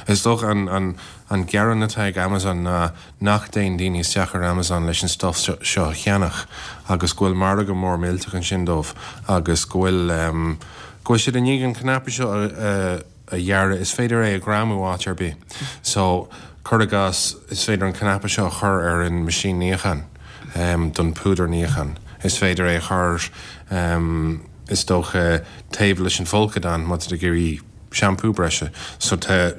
[SPEAKER 6] is dócha an, an, an gearán atá ag Amazon ná nach dtéann daoine isteach ar Amazon leis an stuff seo a cheannach agus go bhfuil margadh mór millteach ansin dóibh agus go bhfuil um, go bhfuil siad i ndiaidh an cnaipe seo a, a a dhearadh, is féidir é a ghreamú áit ar bith. So cuir i gcás is féidir an cnaipe seo a chur ar an machine níocháin um, don púdar níocháin. Is féidir é a chur um, is dócha taobh leis an folcadán má tá tú ag iarraidh shampoo breise. So tá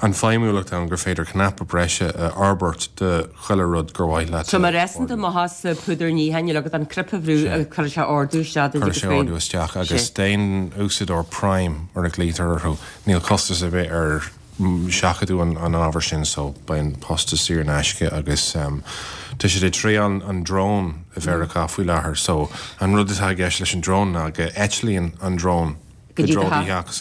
[SPEAKER 6] an feidhmiúlacht ann gur féidir cnaipe breise a fhorbairt do chuile rud gur mhaith leat.
[SPEAKER 1] So má réasann tú amach as púdar níocháin níl agat an cnaipe a bhrú agus cuirfidh sé ordú isteach duit
[SPEAKER 6] Cuirfidh sé ordú isteach agus d'aon úsáideoir Prime mar a ghlaoitear orthu níl costas ar bith ar seachadadh an, an ábhar sin so beidh an postas saor in aisce agus um, tá siad ag triail an drone i Mheiriceá faoi láthair so an rud atá i gceist leis an drone ná go eitlíonn an drone
[SPEAKER 1] Go dtí do
[SPEAKER 6] theach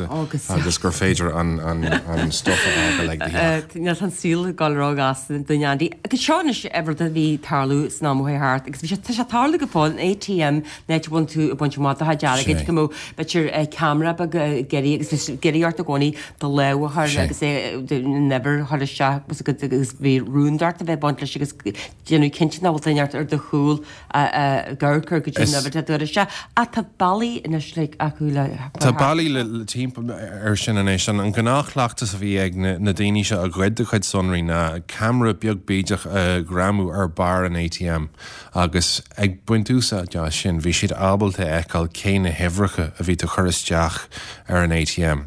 [SPEAKER 6] agus gur féidir an, an, an stuff a fhágáil ag do theach.
[SPEAKER 1] Níl an saol ag dul róghasta dúinn Andy. Agus seo anois rud a bhí tarlú san am ó thart agus bhí sé tá sé tarlú go fóill an ATM an áit a bhfuil tú ag baint amach do chuid airgid go mbeadh b'fhéidir ceamara beag ag iarraidh agus bhí ag iarraidh ort i gcónaí do lámh a chur agus é an uimhir a chur isteach agus bhí rúndacht a bheith ag baint leis agus déanamh cinnte nach bhfuil duine ar do chúl ag amharc ar goidé an uimhir atá tú a chur isteach. Ach tá bealaí anois like acu le
[SPEAKER 6] Tá bealaí le, le timpeall ar sin anois. An, an gnáthchleachtas a bhí ag na, na daoine seo a ghoid do chuid sonraí ná ceamara beag bídeach a ghreamú ar barr an ATM agus ag baint úsáid as sin bhí siad ábalta a fheiceáil cé na huimhreacha a bhí tú chur isteach ar an ATM.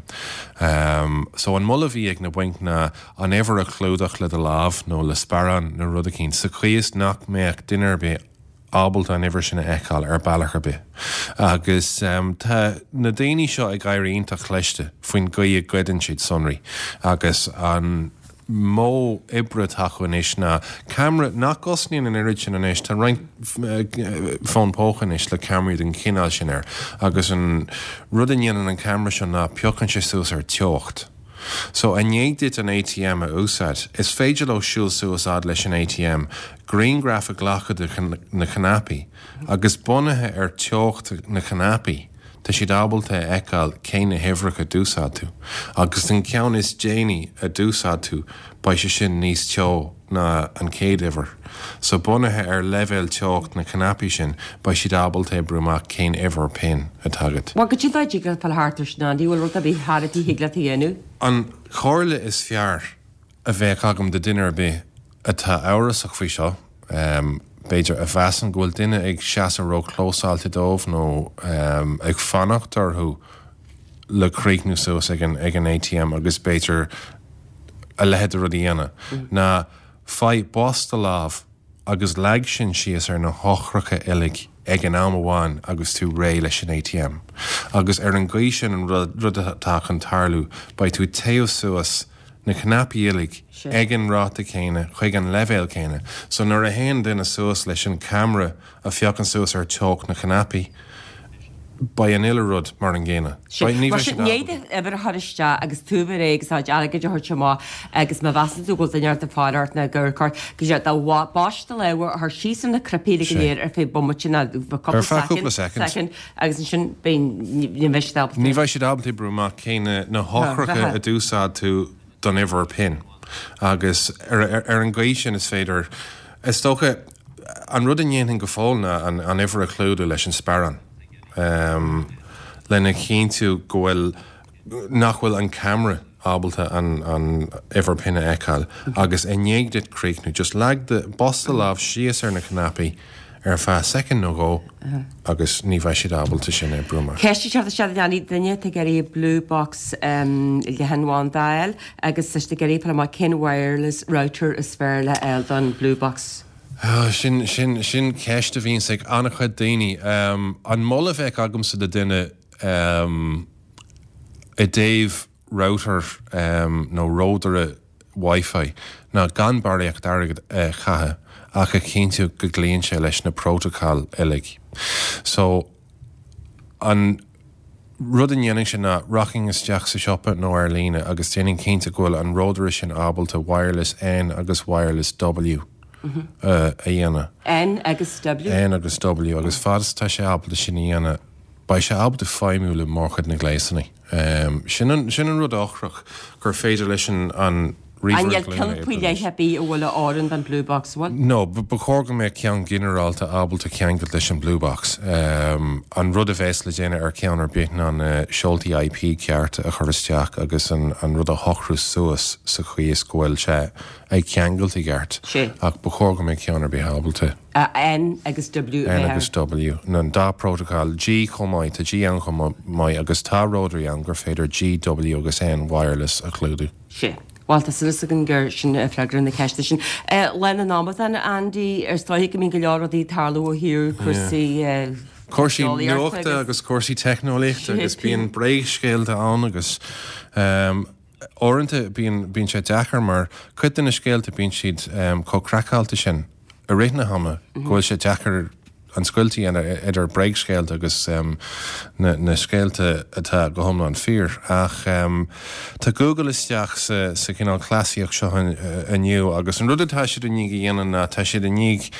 [SPEAKER 6] Um, so an moladh a bhí ag na bainc ná an uimhir a chlúdach le do lámh nó le sparán nó rud eicínt sa chaoi is nach mbeadh duine ar bith ábalta an uimhir sin a fheiceáil ar bealach ar bith. Agus tá na daoine seo ag éirí iontach cliste faoin gcaoi a ghoideann siad sonraí agus an modh oibre atá acu anois ná ceamara nach gcosnaíonn an oiread sin anois, tá roinnt fón póca anois le ceamaraí den chineál sin air agus an rud a dhéanann an ceamara seo ná piocann sé suas ar teocht. So i ndiaidh duit an ATM a úsáid, is féidir leo siúl suas fhad leis an ATM, grianghraf a ghlacadh de na cnaipí agus bunaithe ar teocht na cnaipí, tá siad ábalta a fheiceáil cé na huimhreacha a d'úsáid tú. Agus an ceann is déanaí a d'úsáid tú, beidh sé sin níos teo ná an chéad uimhir. So bunaithe ar leibhéal teocht na cnaipí sin, beidh siad ábalta oibriú amach cén uimhir PIN atá agat.
[SPEAKER 1] Bhuel, cad é a dtig leat fáil thart air sin, Andy, bhfuil rud ar bith thar a thig leat a dhéanamh?
[SPEAKER 6] An chomhairle is fearr a bheadh agam do duine ar bith atá amhrasach faoi seo, b'fhéidir a mheasann go bhfuil duine ag seasamh ró-chlósáilte dóibh nó ag fanacht orthu le críochnú suas ag an ag an ATM agus b'fhéidir a leithéid de rud a dhéanamh, ná faigh bos do lámh agus leag sin síos ar na heochracha uilig ag an am amháin agus tú réidh leis an ATM. Agus ar an gcaoi sin an rud atá chun tarlú, beidh tú ag téamh suas na cnaipí uilig ag an ráta céanna chuig an leibhéal céanna. So nuair a théann duine suas leis an ceamara a phiocann suas ar teocht na cnaipí, beidh an uile rud mar an gcéanna.
[SPEAKER 1] Beidh, ní bheidh siad ábalta. Mar sin, i ndiaidh d'uimhir a chur isteach agus tú a bheith réidh agus do chuid airgid a thabhairt amach agus má mheasann tú go bhfuil duine ort ag faire ort nó ag amharc ort, go dtí do bhos do lámha a chur síos ar na cnaipí uilig go léir ar feadh bomaite nó
[SPEAKER 6] cúpla
[SPEAKER 1] soicind, soicind, agus ansin beidh, ní bheidh siad ábalta.
[SPEAKER 6] Ní bheidh siad ábalta oibriú amach cé na heochracha a d'úsáid tú don uimhir PIN agus ar an gcaoi sin is féidir, is dócha, an rud a ndéanfainn go fóill ná an uimhir a chlúdú leis an sparán lena chinntiú go bhfuil, nach bhfuil an ceamara ábalta an uimhir PIN a fheiceáil agus i ndiaidh duit críochnú, just leag do, bos do lámh síos ar na cnaipí ar feadh soicind nó dhó agus ní bheidh siad ábalta sin a oibriú amach.
[SPEAKER 1] Ceist ag teacht isteach a leanaí, duine atá ag iarraidh Blue Box leathanbhanda a fháil agus tá siad ag iarraidh fáil amach cén wireless router is fearr le fháil don Blue Box.
[SPEAKER 6] Sin, sin, sin ceist a bhíonns ag an-chuid daoine. An moladh a bheadh agamsa do duine i dtaobh router nó ródaire Wi-Fi ná gan barraíocht airgid a chaitheamh ach a chinntiú go gcloíonn sé leis na prótacail uilig. So, an rud a ndéanfainnse ná rachainn isteach sa siopa nó ar líne agus déanfainn cinnte go bhfuil an ródaire sin ábalta Wireless N agus Wireless W a dhéanamh.
[SPEAKER 1] N agus W?
[SPEAKER 6] N agus W agus fad is atá sé ábalta sin a dhéanamh, beidh sé ábalta feidhmiú le mórchuid na ngléasanna. Sin an, sin an rud eochrach, gur féidir leis an, an
[SPEAKER 1] ríomhaire glúine An bhfuil ceann faoi leith ar bith a bhfuil a oireann don Blue Box, bhfuil?
[SPEAKER 6] No, ba chóir go mbeadh ceann ginearálta ábalta ceangailt leis an Blue Box. An rud a bheas le déanamh ar cheann ar bith ná na seoltaí IP cearta a chur isteach agus an, an rud a shocrú suas sa chaoi is go bhfuil sé ag ceangailt i gceart. Ach ba chóir go mbeadh ceann ar bith ábalta.
[SPEAKER 1] N agus W
[SPEAKER 6] a bheith N agus W, an dá prótacal, G chomh maith, tá G ann chomh maith agus tá ródairí ann gur féidir G, W agus N wireless a chlúdú.
[SPEAKER 1] Sea. Bhuel, tá súil againn gur sin freagra na ceiste sin. Lá na nAmadán, Andy, is dóigh go mbíonn go leor rudaí ag tarlú ó thaobh cúrsaí
[SPEAKER 6] Cúrsaí nuachta agus cúrsaí teicneolaíochta agus bíonn bréagscéalta ann agus uaireanta bíonn bíonn sé deacair mar cuid de na scéalta bíonn siad chomh craiceáilte sin i rith na hama go bhfuil sé deacair an scoilt a dhéanamh idir bréagscéalta agus na na scéalta atá go hiomlán fíor. Ach tá Google isteach sa sa chineál cleasaíocht seo inniu agus an rud atá siad i ndiaidh a dhéanamh ná tá siad i ndiaidh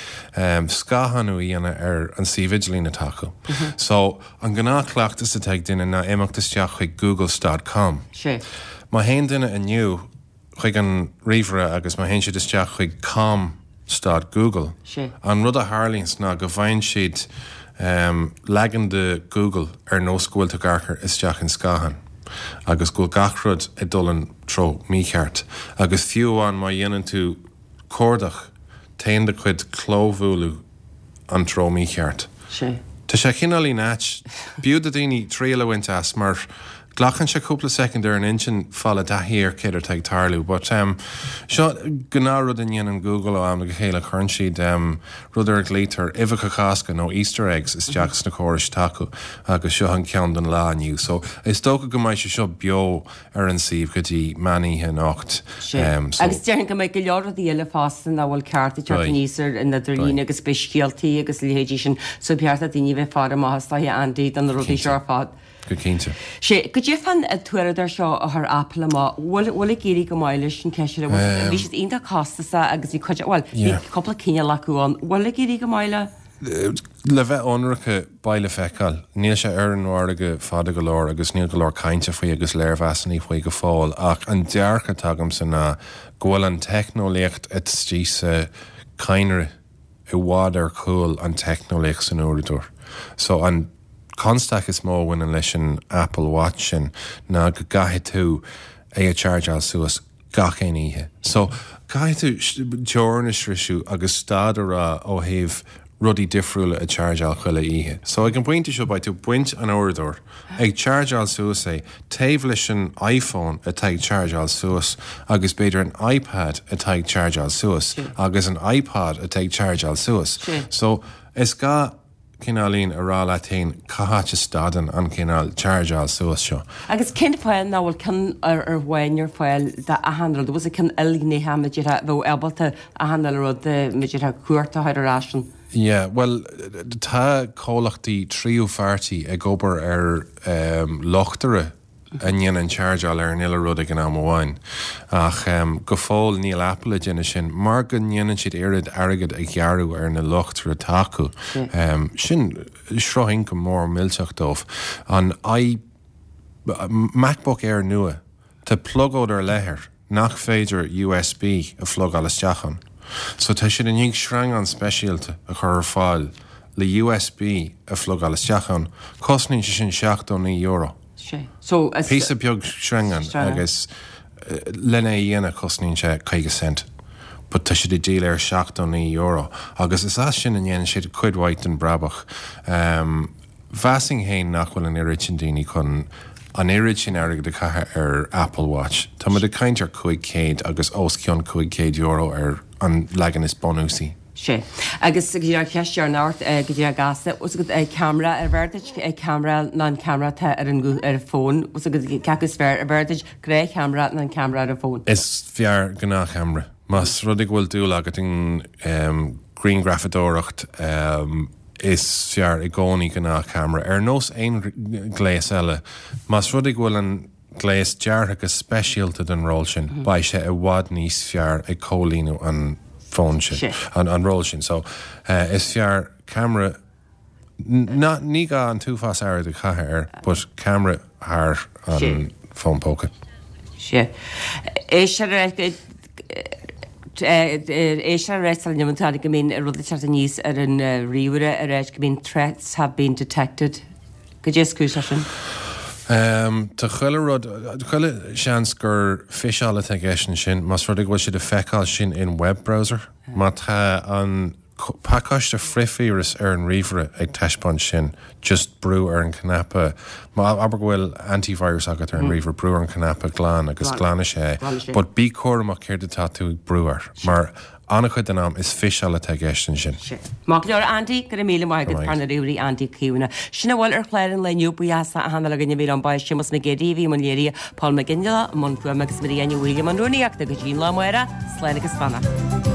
[SPEAKER 6] scáthánú a dhéanamh ar an suíomh idirlín atá acu. So an gnáthchleachtas atá ag duine ná imeacht isteach chuig google stad com. Má théann duine inniu chuig an ríomhaire agus má théann siad isteach chuig com stad Google, an rud a tharlaíonns ná go bhfaigheann siad leagan de Google ar nós go bhfuil tú ag amharc isteach in scáthán agus go bhfuil gach rud ag dul an treo mícheart agus fiú amháin má dhéanann tú cuardach téann do chuid clóbhualadh an treo mícheart. Tá sé cineáilín ait. B'fhiú do daoine triail a bhaint as mar Glacann sé cúpla soicind ar an intinn fáil taithí ar céard atá ag tarlú, but um, seo gnáthrud a dhéanann Google ó am go chéile cuireann siad um, rud ar a nglaoitear uibheacha Cásca nó Easter eggs isteach sna córais atá acu agus seo an ceann don lá inniu. So is dócha go mbeidh sé seo beo ar an suíomh go dtí meánoíche anocht.
[SPEAKER 1] Um, so, agus déarfainn go mbeidh go leor rudaí eile fosta nach bhfuil ceart ag teacht aníos ar an idirlíon agus beidh scéaltaí agus leithéidí sin so ba cheart do daoine bheith faire amach is dóiche Andy do na rudaí seo ar fad.
[SPEAKER 6] Go cinnte.
[SPEAKER 1] Sé go dtí fan an t-uaireadóir seo a chuir Apple amach bhfuil bhfuil ag éirí go maith leis an ceist bhí um, siad iontach costasach agus bhí cuid bhuel bhí cúpla cineál acu ann bhfuil ag éirí go maith le?
[SPEAKER 6] Le bheith ionraic beidh le feiceáil, níl sé ar an mhargadh fada go leor agus níl go leor cainte faoi agus léirmheasanna faoi go fóill ach an dearcadh atá agamsa ná go bhfuil an teicneolaíocht istigh sa cadhnra i bhfad ar chúl an teicneolaíocht san uaireadóir. So an constaic is mó a bhaineann leis an Apple Watch sin ná go gcaithfidh tú é a chargeáil suas gach aon oíche. So caithfidh tú teorainn a shroicheadh agus stad a rá ó thaobh rudaí difriúla a chargeáil chuile oíche. So ag an bpointe seo beidh tú ag baint an uaireadóir ag chargeáil suas é taobh leis an iPhone atá ag chargeáil suas agus b'fhéidir an iPad atá ag chargeáil suas agus an iPod atá ag chargeáil suas. So is gá cineáilín a rá leat féin cá háit a stadann an cineál chargeáil suas seo.
[SPEAKER 1] Agus cén fáth nach bhfuil ceann ar ar amháin ar fáil d'achan rud, bhfuil ceann ilghnéitheach b'fhéidir bheadh ábalta achan uile rud b'fhéidir cuairt a chur ar ais an.
[SPEAKER 6] Yeah, well tá comhlachtaí tríú pháirtí ag obair ar um, luchtaire a ndéanann chargeáil ar an uile rud ag an am amháin. Ach um, go fóill níl Apple ag déanamh sin mar go ndéanann siad oiread airgead a ghearradh ar na luchtaire atá acu. Um, sin sruth ioncam mór millteach dóibh. An i MacBook Air nua tá plugóid ar leith air nach féidir USB a phlugáil isteach ann. So tá siad i ndiaidh sreangán speisialta a chur ar fáil le USB a phlugáil isteach ann, cosnaíonn sé sin seachtó naoi euro.
[SPEAKER 1] Sé. So is
[SPEAKER 6] Píosa beag sreangán agus lena é a dhéanamh cosnaíonn sé caoga cent. But tá siad ag díol ar seachtó naoi euro agus is as sin a ndéanann siad cuid mhaith den brabach. Um, Mheasfainn féin nach bhfuil an oiread sin daoine chun an oiread sin airgead a chaitheamh ar Apple Watch. Tá muid ag caint ar cúig chéad agus os cionn cúig chéad euro ar an leagan is bunúsaí.
[SPEAKER 1] Sé. Agus go dtí ar cheist ar ort go dtí ar gasta, os agat ceamara arbh fhearr duit ceamara ná an ceamara atá ar an ar an bhfón, os agat cé acu is fearr arbh fhearr duit gnáthcheamara ná an ceamara ar an bhfón.
[SPEAKER 6] Is fearr gnáthcheamara. Más rud é go bhfuil dúil agat in um, grianghrafadóireacht um, is fearr i gcónaí gnáthcheamara. Ar nós aon gléas eile, más rud é go bhfuil an gléas deartha go speisialta don ról sin, mm -hmm. beidh sé i bhfad níos fearr ag comhlíonadh an fón sin, an, an ról sin. So uh, is fearr ceamara ná ní gá an t-uafás airgid a chaitheamh air, but ceamara thar an fón póca.
[SPEAKER 1] Sé. É sé é sé rá neamantá go mbíonn rud ag teacht aníos ar an ríomhaire ar éis go mbíonn threats have been detected. Cad is cúis leis sin?
[SPEAKER 6] Um, tá chuile rud chuile seans gur phiseáil atá i gceist ansin, más rud é go bhfuil siad ag feiceáil sin in web browser. Má tá an pacáiste frithvíreas ar an ríomhaire ag taispeáint sin, just brú ar an cnaipe. Má abair go bhfuil antivirus agat ar an mm. ríomhaire brú ar an cnaipe glan agus glanfaidh sé, but bí cúramach céard atá tú ag brú air, mar an-chuid den am is phiseáil atá i gceist ansin.
[SPEAKER 1] Maith go leor Andy go raibh míle maith agat fear na ríomhairí Andy Caomhna. Sin a bhfuil ar chlár an lae inniu buíochas le achan duine a bhí ann ba é Séamus Mac Géidigh a bhí i mbun léirithe Paul Mac Ginnela i mbun fuaime agus Maria Ní Mhaoile i mbun rúnaíochta go dtí an lá amárach, slán agus beannacht.